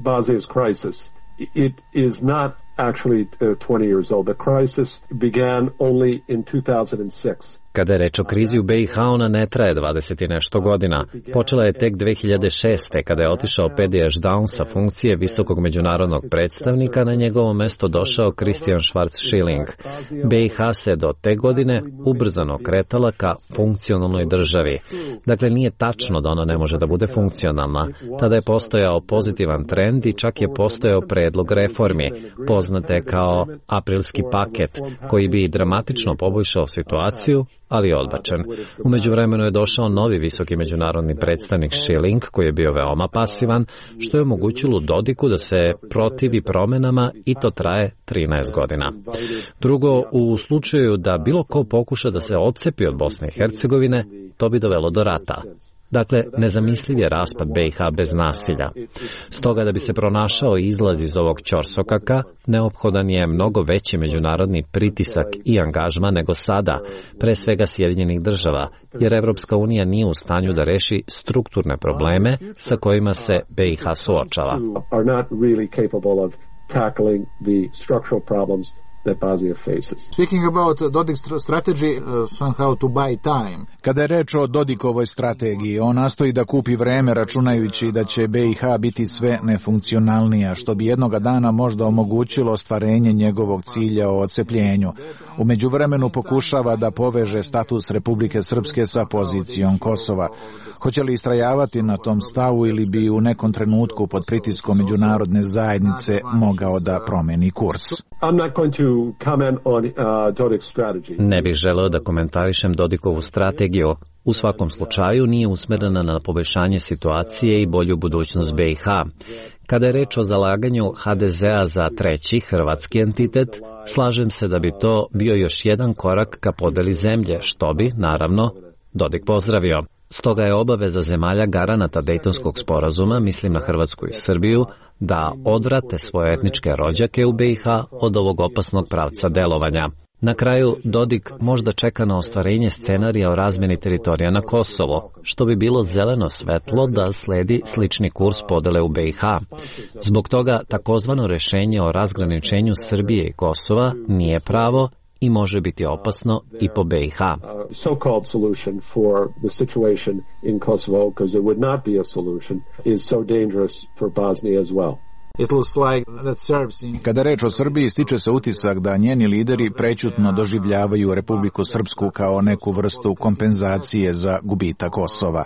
Bosnia's crisis, it is not actually 20 years old. The crisis began only in 2006. Kada je reč o krizi u BiH, ona ne traje 20 i nešto godina. Počela je tek 2006. kada je otišao Pedi Ešdaun sa funkcije visokog međunarodnog predstavnika, na njegovo mesto došao Christian Schwarz-Schilling. BiH se do te godine ubrzano kretala ka funkcionalnoj državi. Dakle, nije tačno da ona ne može da bude funkcionalna. Tada je postojao pozitivan trend i čak je postojao predlog reformi, poznate kao aprilski paket, koji bi dramatično poboljšao situaciju, ali je odbačen. U međuvremenu je došao novi visoki međunarodni predstavnik Schilling, koji je bio veoma pasivan, što je omogućilo Dodiku da se protivi promenama i to traje 13 godina. Drugo, u slučaju da bilo ko pokuša da se odcepi od Bosne i Hercegovine, to bi dovelo do rata. Dakle, nezamisliv je raspad BiH bez nasilja. Stoga da bi se pronašao izlaz iz ovog ćorsokaka, neophodan je mnogo veći međunarodni pritisak i angažman nego sada, pre svega Sjedinjenih država, jer Evropska unija nije u stanju da reši strukturne probleme sa kojima se BiH suočava. That Bosnia faces. Speaking about Dodik's strategy, somehow to buy time. Kada je reč o Dodikovoj strategiji, on nastoji da kupi vreme računajući da će BiH biti sve nefunkcionalnija, što bi jednoga dana možda omogućilo ostvarenje njegovog cilja o odcepljenju. U međuvremenu pokušava da poveže status Republike Srpske sa pozicijom Kosova. Hoće li istrajavati na tom stavu ili bi u nekom trenutku pod pritiskom međunarodne zajednice mogao da promeni kurs? Ne bih želeo da komentarišem Dodikovu strategiju. U svakom slučaju nije usmerena na poboljšanje situacije i bolju budućnost BiH. Kada je reč o zalaganju HDZ-a za treći hrvatski entitet, slažem se da bi to bio još jedan korak ka podeli zemlje, što bi, naravno, Dodik pozdravio. Stoga je obaveza zemalja garanata Dejtonskog sporazuma, mislim na Hrvatsku i Srbiju, da odvrate svoje etničke rođake u BiH od ovog opasnog pravca delovanja. Na kraju, Dodik možda čeka na ostvarenje scenarija o razmeni teritorija na Kosovo, što bi bilo zeleno svetlo da sledi slični kurs podele u BiH. Zbog toga, takozvano rešenje o razgraničenju Srbije i Kosova nije pravo i može biti opasno i po BiH. So-called solution for the situation in Kosovo, because it would not be a solution, is so dangerous for Bosnia as well. Kada reč o Srbiji, stiče se utisak da njeni lideri prećutno doživljavaju Republiku Srpsku kao neku vrstu kompenzacije za gubitak Kosova.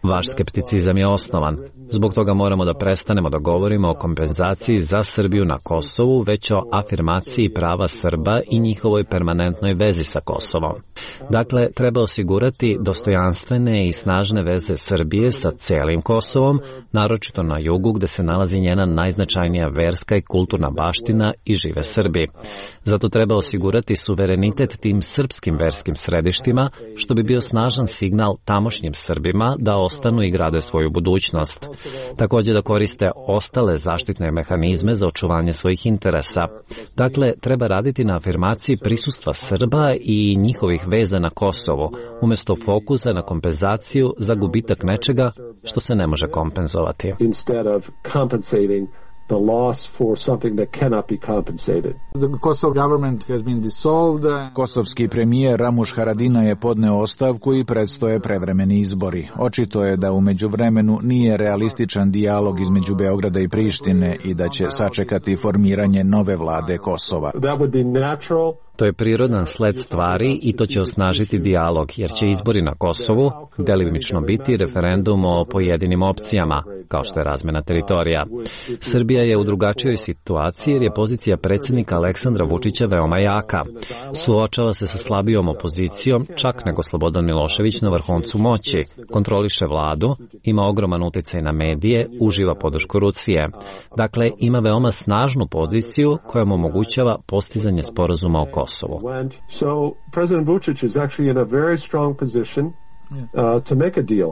Vaš skepticizam je osnovan. Zbog toga moramo da prestanemo da govorimo o kompenzaciji za Srbiju na Kosovu, već o afirmaciji prava Srba i njihovoj permanentnoj vezi sa Kosovom. Dakle, treba osigurati dostojanstvene i snažne veze Srbije sa celim Kosovom, naročito na jugu gde se nalazi njena najznačajnija verska i kulturna baština i žive Srbi. Zato treba osigurati suverenitet tim srpskim verskim središtima, što bi bio snažan signal tamošnjim Srbima da ostanu i grade svoju budućnost. Također da koriste ostale zaštitne mehanizme za očuvanje svojih interesa. Dakle, treba raditi na afirmaciji prisustva Srba i njihovih veza na Kosovu, umjesto fokusa na kompenzaciju za gubitak nečega što se ne može kompenzovati. Instead of compensating the loss for something that cannot be compensated. The Kosovo government has been dissolved. Kosovski premijer Ramuš Haradinaj je podneo ostavku i predstoje prevremeni izbori. Očito je da u međuvremenu nije realističan dijalog između Beograda i Prištine i da će sačekati formiranje nove vlade Kosova. That would be natural. To je prirodan sled stvari i to će osnažiti dijalog, jer će izbori na Kosovu delimično biti referendum o pojedinim opcijama, kao što je razmena teritorija. Srbija je u drugačijoj situaciji jer je pozicija predsjednika Aleksandra Vučića veoma jaka. Suočava se sa slabijom opozicijom, čak nego Slobodan Milošević na vrhuncu moći, kontroliše vladu, ima ogroman uticaj na medije, uživa podršku Rusije. Dakle, ima veoma snažnu poziciju koja mu omogućava postizanje sporazuma o Kosovu. So President Vučić is actually in a very strong position to make a deal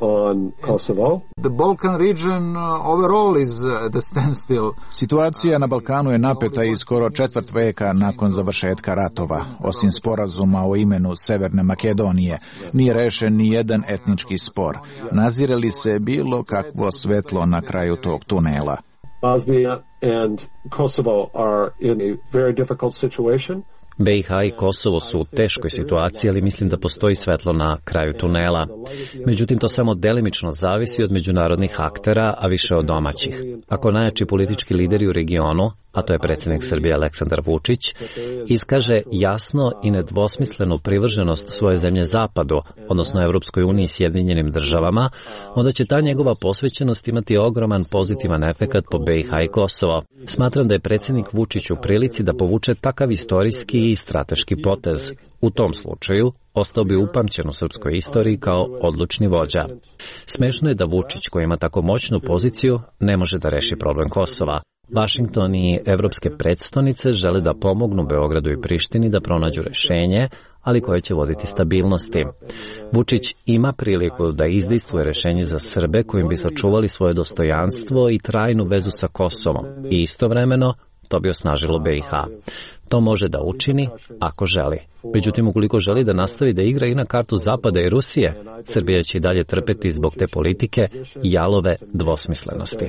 on Kosovo. The Balkan region overall is the standstill. Situacija na Balkanu je napeta i skoro četvrt veka nakon završetka ratova. Osim sporazuma o imenu Severne Makedonije, nije rešen ni jedan etnički spor. Nazire li se bilo kakvo svetlo na kraju tog tunela? Bosnia and Kosovo are in a very difficult situation. BiH i Kosovo su u teškoj situaciji, ali mislim da postoji svetlo na kraju tunela. Međutim, to samo delimično zavisi od međunarodnih aktera, a više od domaćih. Ako najjači politički lideri u regionu, a to je predsjednik Srbije Aleksandar Vučić, iskaže jasno i nedvosmislenu privrženost svoje zemlje Zapadu, odnosno Evropskoj uniji i Sjedinjenim državama, onda će ta njegova posvećenost imati ogroman pozitivan efekat po BiH i Kosovo. Smatram da je predsjednik Vučić u prilici da povuče takav istorijski i strateški potez. U tom slučaju, ostao bi upamćen u srpskoj istoriji kao odlučni vođa. Smešno je da Vučić, koji ima tako moćnu poziciju, ne može da reši problem Kosova. Vašington i evropske predstavnice žele da pomognu Beogradu i Prištini da pronađu rešenje, ali koje će voditi stabilnosti. Vučić ima priliku da izdejstvuje rešenje za Srbe kojim bi sačuvali svoje dostojanstvo i trajnu vezu sa Kosovom i istovremeno to bi osnažilo BiH. To može da učini ako želi. Međutim, ukoliko želi da nastavi da igra i na kartu Zapada i Rusije, Srbija će i dalje trpeti zbog te politike i jalove dvosmislenosti.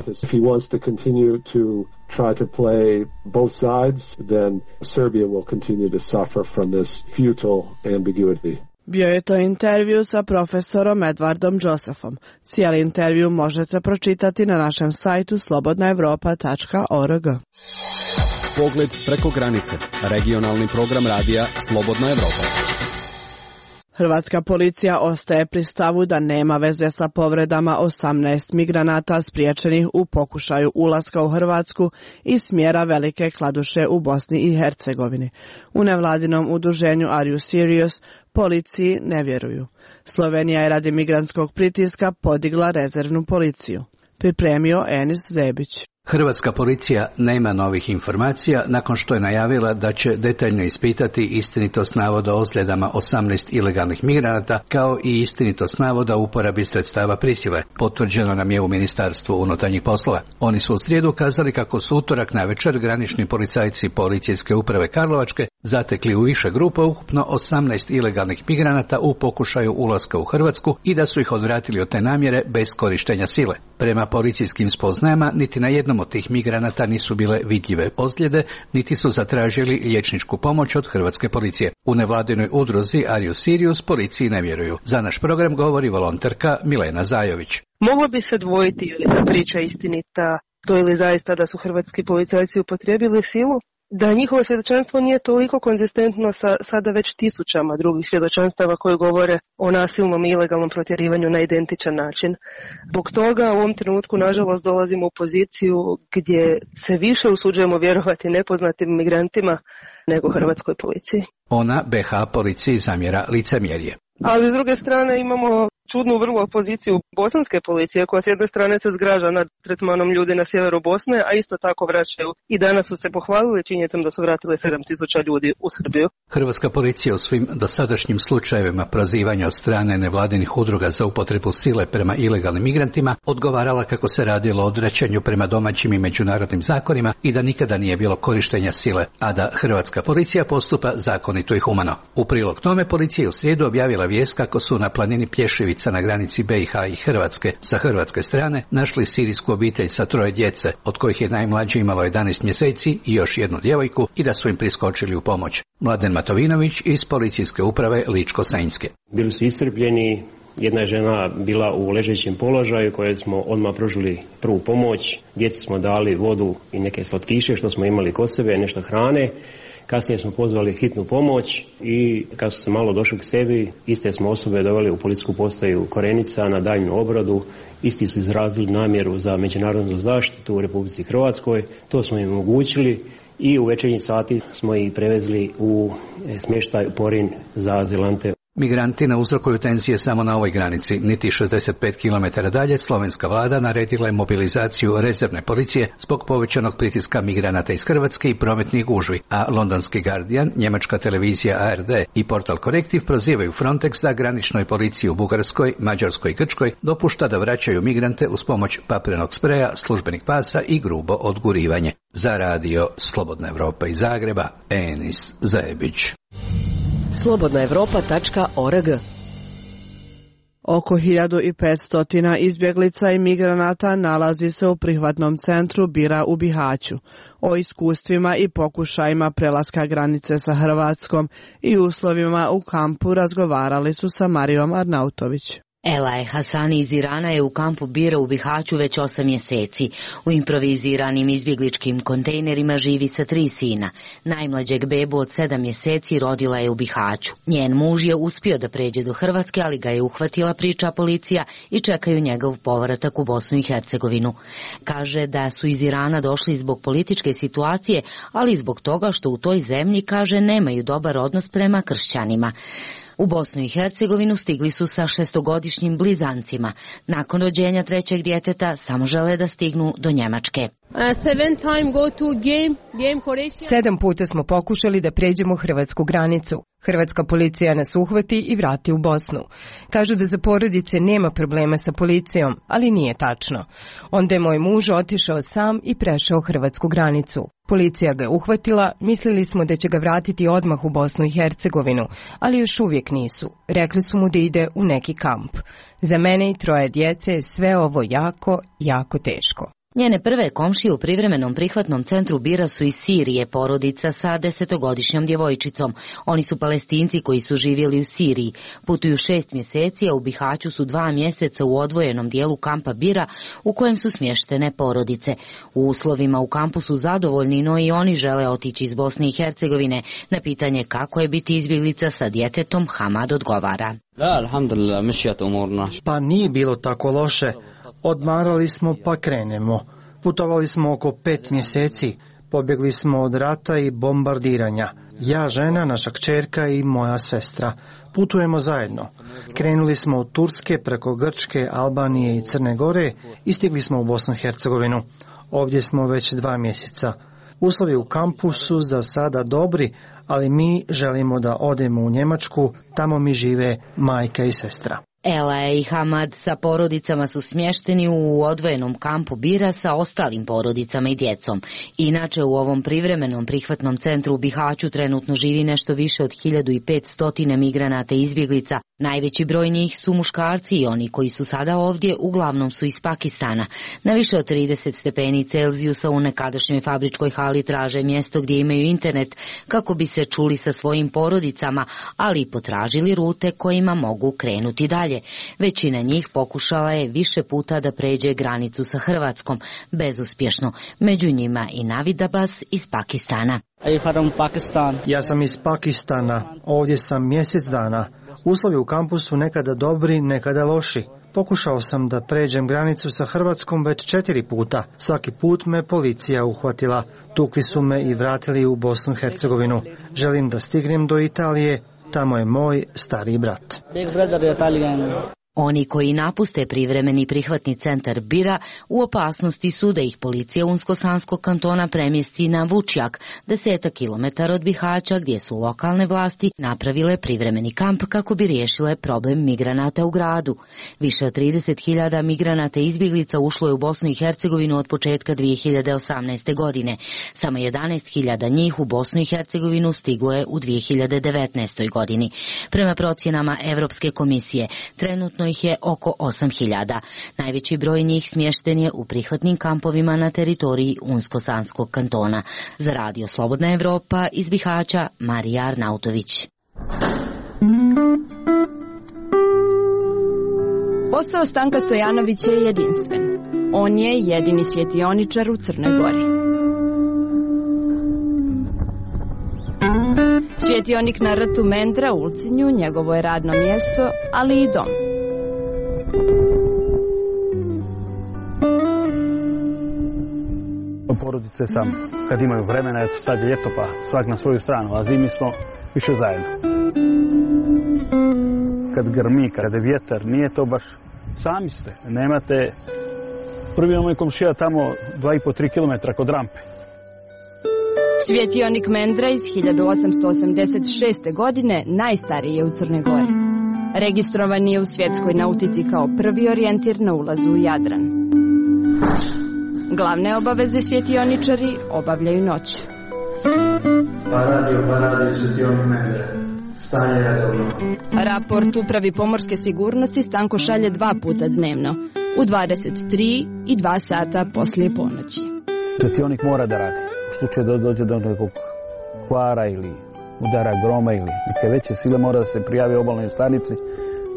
Try to play both sides, then Serbia will continue to suffer from this futile ambiguity. Bio je to intervju sa profesorom Edwardom Josephom. Cijeli intervju možete pročitati na našem sajtu slobodnaevropa.org. Pogled preko granice. Regionalni program radija Slobodna Evropa. Hrvatska policija ostaje pri stavu da nema veze sa povredama 18 migranata spriječenih u pokušaju ulaska u Hrvatsku iz smjera Velike Kladuše u Bosni i Hercegovini. U nevladinom udruženju Are You Serious policiji ne vjeruju. Slovenija je radi migrantskog pritiska podigla rezervnu policiju. Pripremio Enis Zebić. Hrvatska policija nema novih informacija nakon što je najavila da će detaljno ispitati istinitost navoda o ozljedama 18 ilegalnih migranata kao i istinitost navoda o uporabi sredstava prisile, potvrđeno nam je u Ministarstvu unutarnjih poslova. Oni su u srijedu kazali kako su utorak navečer granični policajci Policijske uprave Karlovačke zatekli u više grupa ukupno 18 ilegalnih migranata u pokušaju ulaska u Hrvatsku i da su ih odvratili od te namjere bez korištenja sile. Prema policijskim spoznajama niti na jednom od tih migranata nisu bile vidljive ozljede, niti su zatražili liječničku pomoć od hrvatske policije. U nevladinoj udruzi Arius Sirius policiji ne vjeruju. Za naš program govori volonterka Milena Zajović. Moglo bi se dvojiti ili ta priča istinita, to ili zaista da su hrvatski policajci upotrijebili silu, da njihovo svjedočanstvo nije toliko konzistentno sa sada već tisućama drugih svjedočanstava koji govore o nasilnom i ilegalnom protjerivanju na identičan način. Zbog toga u ovom trenutku nažalost dolazimo u poziciju gdje se više usuđujemo vjerovati nepoznatim migrantima nego hrvatskoj policiji. Ona BH policiji zamjera licemjerje. Ali s druge strane imamo čudnu vrlo poziciju bosanske policije koja s jedne strane se zgraža nad tretmanom ljudi na sjeveru Bosne, a isto tako vraćaju. I danas su se pohvalili činjenicom da su vratili 7.000 ljudi u Srbiju. Hrvatska policija u svim dosadašnjim slučajevima prozivanja od strane nevladinih udruga za upotrebu sile prema ilegalnim migrantima odgovarala kako se radilo o odvraćanju prema domaćim i međunarodnim zakonima i da nikada nije bilo korištenja sile, a da hrvatska policija postupa zakonito i humano. U prilog tome policija je u srijedu objavila vijest kako su na planini Plješevica na granici BiH i Hrvatske sa hrvatske strane našli sirijsku obitelj sa 3 djece, od kojih je najmlađe imalo 11 mjeseci i još jednu djevojku i da su im priskočili u pomoć. Mladen Matovinović iz Policijske uprave Ličko-Senjske. Bili su iscrpljeni, jedna je žena bila u ležećem položaju koje smo odmah pružili prvu pomoć, djeci smo dali vodu i neke slatkiše što smo imali kod sebe, nešto hrane. Kasnije smo pozvali hitnu pomoć i kad su se malo došli k sebi, iste smo osobe doveli u policijsku postaju Korenica na daljnju obradu. Isti su izrazili namjeru za međunarodnu zaštitu u Republici Hrvatskoj. To smo im omogućili i u večernji sati smo ih prevezli u smještaj u Porin za azilante. Migranti ne uzrokuju tenzije samo na ovoj granici. Niti 65 km dalje slovenska vlada naredila je mobilizaciju rezervne policije zbog povećanog pritiska migranata iz Hrvatske i prometnih gužvi, a londonski Guardian, njemačka televizija ARD i portal Korektiv prozivaju Frontex da graničnoj policiji u Bugarskoj, Mađarskoj i Grčkoj dopušta da vraćaju migrante uz pomoć papirnog spreja, službenih pasa i grubo odgurivanje. Za radio Slobodna Evropa iz Zagreba, Enis Zajebić. slobodnaevropa.org. Oko 1500 izbjeglica i migranata nalazi se u prihvatnom centru Bira u Bihaću. O iskustvima i pokušajima prelaska granice sa Hrvatskom i uslovima u kampu razgovarali su sa Marijom Arnautović. Elaje Hasani iz Irana je u kampu Bira u Bihaću već 8 mjeseci. U improviziranim izbjegličkim kontejnerima živi sa 3 sina. Najmlađeg bebu od 7 mjeseci rodila je u Bihaću. Njen muž je uspio da pređe do Hrvatske, ali ga je uhvatila, priča policija, i čekaju njegov povratak u Bosnu i Hercegovinu. Kaže da su iz Irana došli zbog političke situacije, ali i zbog toga što u toj zemlji, kaže, nemaju dobar odnos prema kršćanima. U Bosnu i Hercegovinu stigli su sa 6-godišnjim blizancima. Nakon rođenja 3. djeteta samo žele da stignu do Njemačke. 7 puta smo pokušali da pređemo hrvatsku granicu. Hrvatska policija nas uhvati i vrati u Bosnu. Kažu da za porodice nema problema sa policijom, ali nije tačno. Onda je moj muž otišao sam i prešao hrvatsku granicu. Policija ga je uhvatila, mislili smo da će ga vratiti odmah u Bosnu i Hercegovinu, ali još uvijek nisu. Rekli su mu da ide u neki kamp. Za mene i 3 djece je sve ovo jako, jako teško. Njene prve komšije u privremenom prihvatnom centru Bira su iz Sirije, porodica sa 10-godišnjom djevojčicom. Oni su Palestinci koji su živjeli u Siriji. Putuju 6 mjeseci, a u Bihaću su 2 mjeseca u odvojenom dijelu kampa Bira u kojem su smještene porodice. U uslovima u kampu su zadovoljni, no i oni žele otići iz Bosne i Hercegovine. Na pitanje kako je biti izbjeglica sa djetetom, Hamad odgovara. Pa nije bilo tako loše. Odmarali smo pa krenemo. Putovali smo oko 5 mjeseci. Pobjegli smo od rata i bombardiranja. Ja, žena, naša kćerka i moja sestra. Putujemo zajedno. Krenuli smo od Turske preko Grčke, Albanije i Crne Gore i stigli smo u Bosnu i Hercegovinu. Ovdje smo već 2 mjeseca. Uslovi u kampu su za sada dobri, ali mi želimo da odemo u Njemačku, tamo mi žive majka i sestra. Ela i Hamad sa porodicama su smješteni u odvojenom kampu Bira sa ostalim porodicama i djecom. Inače, u ovom privremenom prihvatnom centru u Bihaću trenutno živi nešto više od 1500 migranata i izbjeglica. Najveći broj njih su muškarci i oni koji su sada ovdje uglavnom su iz Pakistana. Na više od 30 stepeni Celzijusa u nekadašnjoj fabričkoj hali traže mjesto gdje imaju internet kako bi se čuli sa svojim porodicama, ali i potražili rute kojima mogu krenuti dalje. Većina njih pokušala je više puta da pređe granicu sa Hrvatskom, bezuspješno. Među njima i Navid Abbas iz Pakistana. Ja sam iz Pakistana, ovdje sam mjesec dana. Uslovi u kampu su nekada dobri, nekada loši. Pokušao sam da pređem granicu sa Hrvatskom već 4 puta. Svaki put me policija uhvatila. Tukli su me i vratili u Bosnu i Hercegovinu. Želim da stignem do Italije, tamo je moj stariji brat. Oni koji napuste privremeni prihvatni centar Bira u opasnosti su da ih policija Unsko-Sanskog kantona premjesti na Vučjak, 10 kilometara od Bihaća, gdje su lokalne vlasti napravile privremeni kamp kako bi riješile problem migranata u gradu. Više od 30.000 migranata i izbjeglica ušlo je u Bosnu i Hercegovinu od početka 2018. godine. Samo 11.000 njih u Bosnu i Hercegovinu stiglo je u 2019. godini. Prema procjenama Europske komisije, trenutno ih je oko 8.000. Najveći broj njih smješten je u prihvatnim kampovima na teritoriji Unsko-Sanskog kantona. Za Radio Slobodna Evropa iz Bihaća, Marija Arnautović. Posao Stanka Stojanovića je jedinstven. On je jedini svjetioničar u Crnoj Gori. Svjetionik na rtu Mendra u Ulcinju njegovo je radno mjesto, ali i dom. Porodice sam, kad imaju vremena, eto sad je ljeto pa svak na svoju stranu, a zimi smo više zajedno. Kad grmi, kad je vjetar, nije to baš, sami ste, nemate, prvi je moj komšija tamo 2,5-3 kilometra kod rampe. Svjetionik Mendra iz 1886. godine najstariji je u Crnoj Gori. Registrovan je u svjetskoj nautici kao prvi orijentir na ulazu u Jadran. Glavne obaveze svjetioničari obavljaju noću. Pa radio svjetionik Mendra. Stanje redovno. Raport upravi pomorske sigurnosti Stanko šalje 2 puta dnevno, u 23 i 2 sata poslije ponoći. Svjetionik mora da radi. U slučaju da dođe do nekog kvara ili udara groma ili neke veće sile, mora da se prijavi obalnoj stanici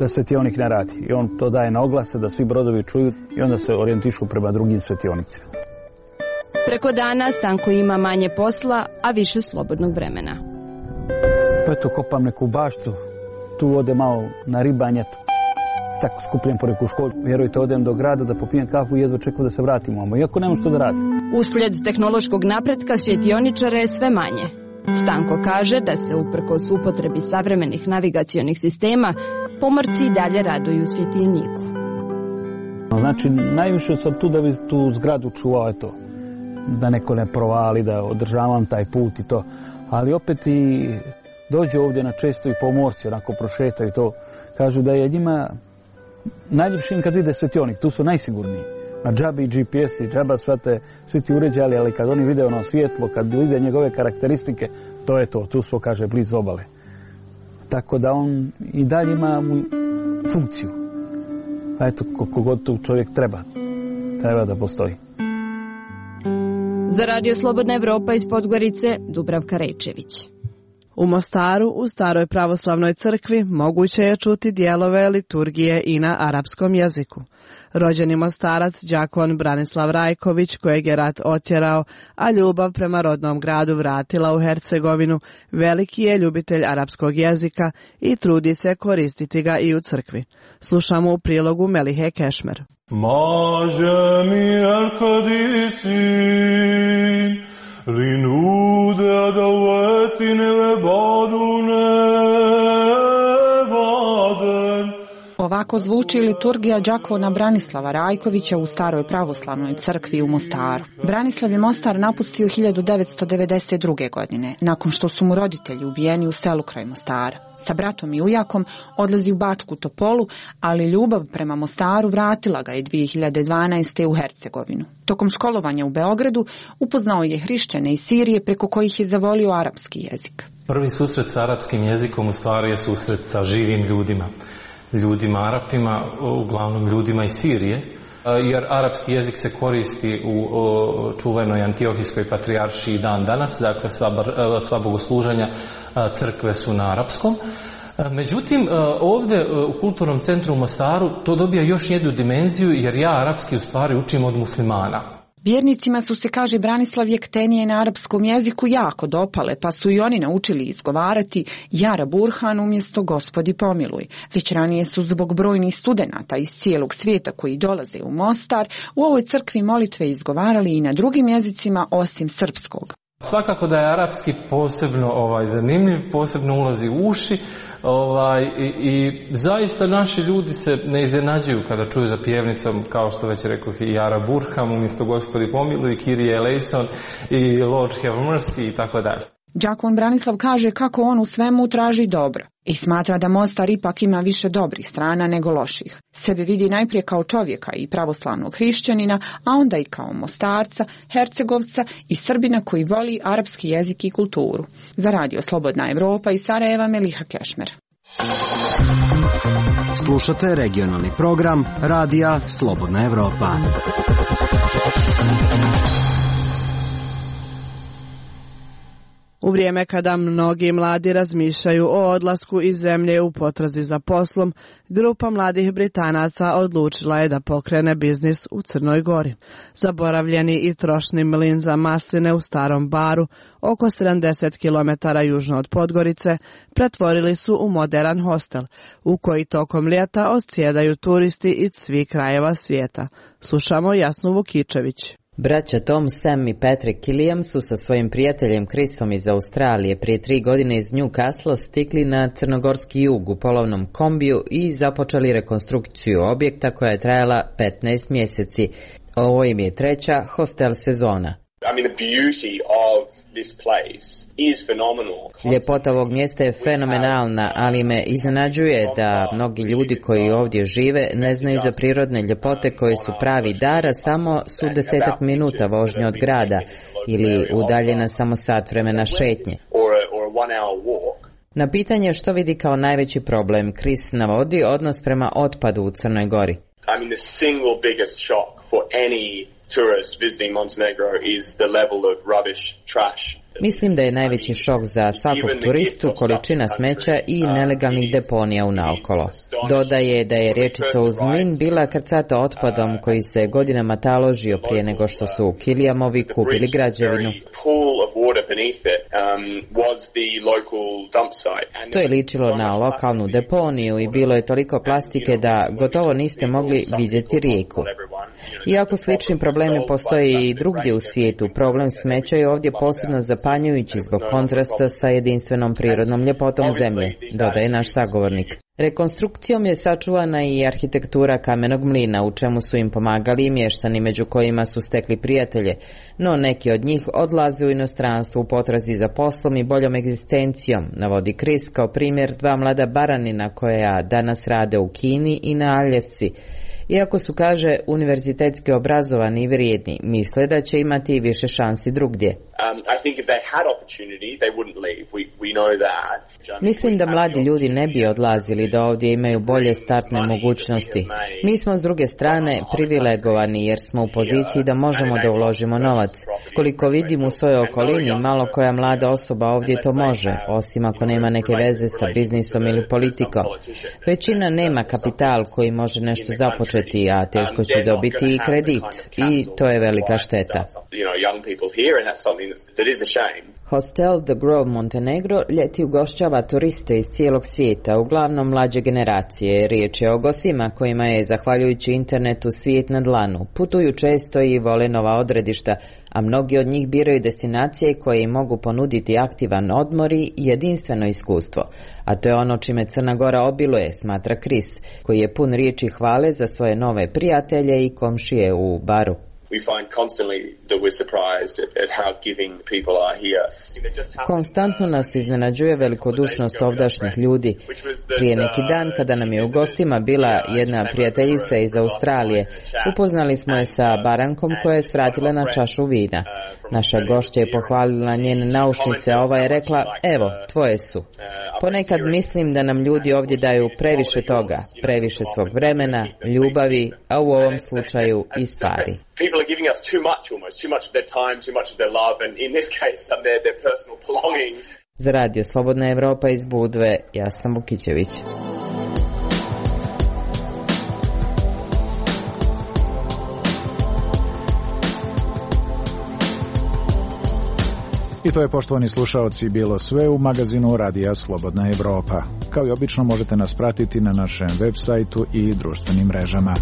da svjetionik ne radi. I on to daje na oglase da svi brodovi čuju i onda se orijentišu prema drugim svjetionicima. Preko dana Stanko ima manje posla, a više slobodnog vremena. Pa eto, kopam neku baštu, tu odem malo na ribanje, tako skupljem po neku školu. Vjerujte, odem do grada da popijem kafu i jedva čekam da se vratimo, iako nemam što da radim. Uslijed tehnološkog napretka svjetioničara je sve manje. Stanko kaže da se uprkos upotrebi savremenih navigacionih sistema, pomorci i dalje raduju svjetioniku. Znači, najviše sam tu da bi tu zgradu čuvao, eto, da neko ne provali, da održavam taj put i to. Ali opet i dođe ovdje na često i pomorci, onako prošetaju to. Kažu da je njima najljepšim kad vide svjetionik, tu su najsigurniji. Na džabi GPS i džaba svi ti uređali, ali kad oni vide ono svjetlo, kad vide njegove karakteristike, to je to, tu su, kaže, blizu obale. Tako da on i dalje ima funkciju. A eto, koliko god tu čovjek treba da postoji. Za Radio Slobodna Evropa iz Podgorice, Dubravka Rejčević. U Mostaru, u Staroj pravoslavnoj crkvi, moguće je čuti dijelove liturgije i na arapskom jeziku. Rođeni Mostarac, đakon Branislav Rajković, kojeg je rat otjerao, a ljubav prema rodnom gradu vratila u Hercegovinu, veliki je ljubitelj arapskog jezika i trudi se koristiti ga i u crkvi. Slušamo u prilogu Melihe Kešmer. Maže mi al-Kadisin, linude adavetine ve badune vaden, Ovako zvuči liturgija đakona Branislava Rajkovića u staroj pravoslavnoj crkvi u Mostaru. Branislav je Mostar napustio 1992. godine, nakon što su mu roditelji ubijeni u selu kraj Mostara. Sa bratom i ujakom odlazi u Bačku Topolu, ali ljubav prema Mostaru vratila ga je 2012. u Hercegovinu. Tokom školovanja u Beogradu upoznao je hrišćane iz Sirije preko kojih je zavolio arapski jezik. Prvi susret s arapskim jezikom u stvari je susret sa živim ljudima Arapima, uglavnom ljudima iz Sirije, jer arapski jezik se koristi u čuvenoj Antiohijskoj patrijaršiji dan danas, dakle sva bogosluženja crkve su na arapskom. Međutim, ovdje u Kulturnom centru u Mostaru to dobija još jednu dimenziju, jer ja arapski u stvari učim od muslimana. Vjernicima su se, kaže Branislav, jektenije na arapskom jeziku jako dopale, pa su i oni naučili izgovarati Jara Burhan umjesto Gospodi pomiluj. Već ranije su zbog brojnih studenata iz cijelog svijeta koji dolaze u Mostar u ovoj crkvi molitve izgovarali i na drugim jezicima osim srpskog. Svakako da je arapski posebno zanimljiv, posebno ulazi u uši i zaista naši ljudi se ne iznenađuju kada čuju za pjevnicom, kao što već rekao, i Jara Burham umjesto Gospodi pomiluj, Kyrie eleison i Lord have mercy i tako dalje. Đakon Branislav kaže kako on u svemu traži dobro i smatra da Mostar ipak ima više dobrih strana nego loših. Sebe vidi najprije kao čovjeka i pravoslavnog hrišćanina, a onda i kao Mostarca, Hercegovca i Srbina koji voli arapski jezik i kulturu. Za Radio Slobodna Evropa iz Sarajeva, Meliha Kešmer. Slušate regionalni program Radija Slobodna Evropa. U vrijeme kada mnogi mladi razmišljaju o odlasku iz zemlje u potrazi za poslom, grupa mladih Britanaca odlučila je da pokrene biznis u Crnoj Gori. Zaboravljeni i trošni mlin za masline u Starom Baru, oko 70 km južno od Podgorice, pretvorili su u moderan hostel, u koji tokom ljeta odsjedaju turisti iz svih krajeva svijeta. Slušamo Jasnu Vukičević. Braća Tom, Sam i Patrick Killiam su sa svojim prijateljem Chrisom iz Australije prije 3 godine iz Newcastle stigli na crnogorski jug u polovnom kombiju i započeli rekonstrukciju objekta koja je trajala 15 mjeseci. Ovo im je treća hostel sezona. Ljepota ovog mjesta je fenomenalna, ali me iznenađuje da mnogi ljudi koji ovdje žive ne znaju za prirodne ljepote koje su pravi dar, a samo su 10 minuta vožnje od grada ili udaljena samo sat vremena šetnje. Na pitanje što vidi kao najveći problem, Chris navodi odnos prema otpadu u Crnoj Gori. Tourist visiting Montenegro is the level of rubbish, trash. Mislim da je najveći šok za svakog turistu količina smeća i nelegalnih deponija u naokolo. Dodaje da je riječica uz mlin bila krcata otpadom koji se godinama taložio prije nego što su Killiamovi kupili građevinu. To je ličilo na lokalnu deponiju i bilo je toliko plastike da gotovo niste mogli vidjeti rijeku. Iako slični problemi postoje i drugdje u svijetu, problem smeća je ovdje posebno zapanjujući zbog kontrasta sa jedinstvenom prirodnom ljepotom zemlje, dodaje naš sagovornik. Rekonstrukcijom je sačuvana i arhitektura kamenog mlina, u čemu su im pomagali i mještani, među kojima su stekli prijatelje, no neki od njih odlaze u inostranstvo u potrazi za poslom i boljom egzistencijom, navodi Chris kao primjer 2 mlada baranina koja danas rade u Kini i na Aljasci. Iako su, kaže, univerzitetski obrazovani i vrijedni, misle da će imati više šansi drugdje. Mislim da mladi ljudi ne bi odlazili da ovdje imaju bolje startne mogućnosti. Mi smo s druge strane privilegovani jer smo u poziciji da možemo da uložimo novac. Koliko vidim u svojoj okolini, malo koja mlada osoba ovdje to može, osim ako nema neke veze sa biznisom ili politikom. Većina nema kapital koji može nešto započeti početi, a teško će dobiti i kredit. I to je velika šteta. Hostel The Grove Montenegro ljeti ugošćava turiste iz cijelog svijeta, uglavnom mlađe generacije. Riječ je o gostima kojima je, zahvaljujući internetu, svijet na dlanu. Putuju često i vole nova odredišta, a mnogi od njih biraju destinacije koje im mogu ponuditi aktivan odmor i jedinstveno iskustvo. A to je ono čime Crna Gora obiluje, smatra Chris, koji je pun riječi hvale za svoje nove prijatelje i komšije u Baru. Konstantno nas iznenađuje velikodušnost ovdašnjih ljudi. Prije neki dan, kada nam je u gostima bila jedna prijateljica iz Australije, upoznali smo je sa barankom koja je svratila na čašu vina. Naša gošća je pohvalila njene naušnice, a ova je rekla, evo, tvoje su. Ponekad mislim da nam ljudi ovdje daju previše toga, previše svog vremena, ljubavi, a u ovom slučaju i stvari. People are giving us too much almost, too much of their time, too much of their love, and in this case, their personal belongings. Za Radio Slobodna Evropa iz Budve, Jasna Vukićević. I to je, poštovani slušaoci, bilo sve u magazinu Radija Slobodna Evropa. Kao i obično možete nas pratiti na našem web sajtu i društvenim mrežama.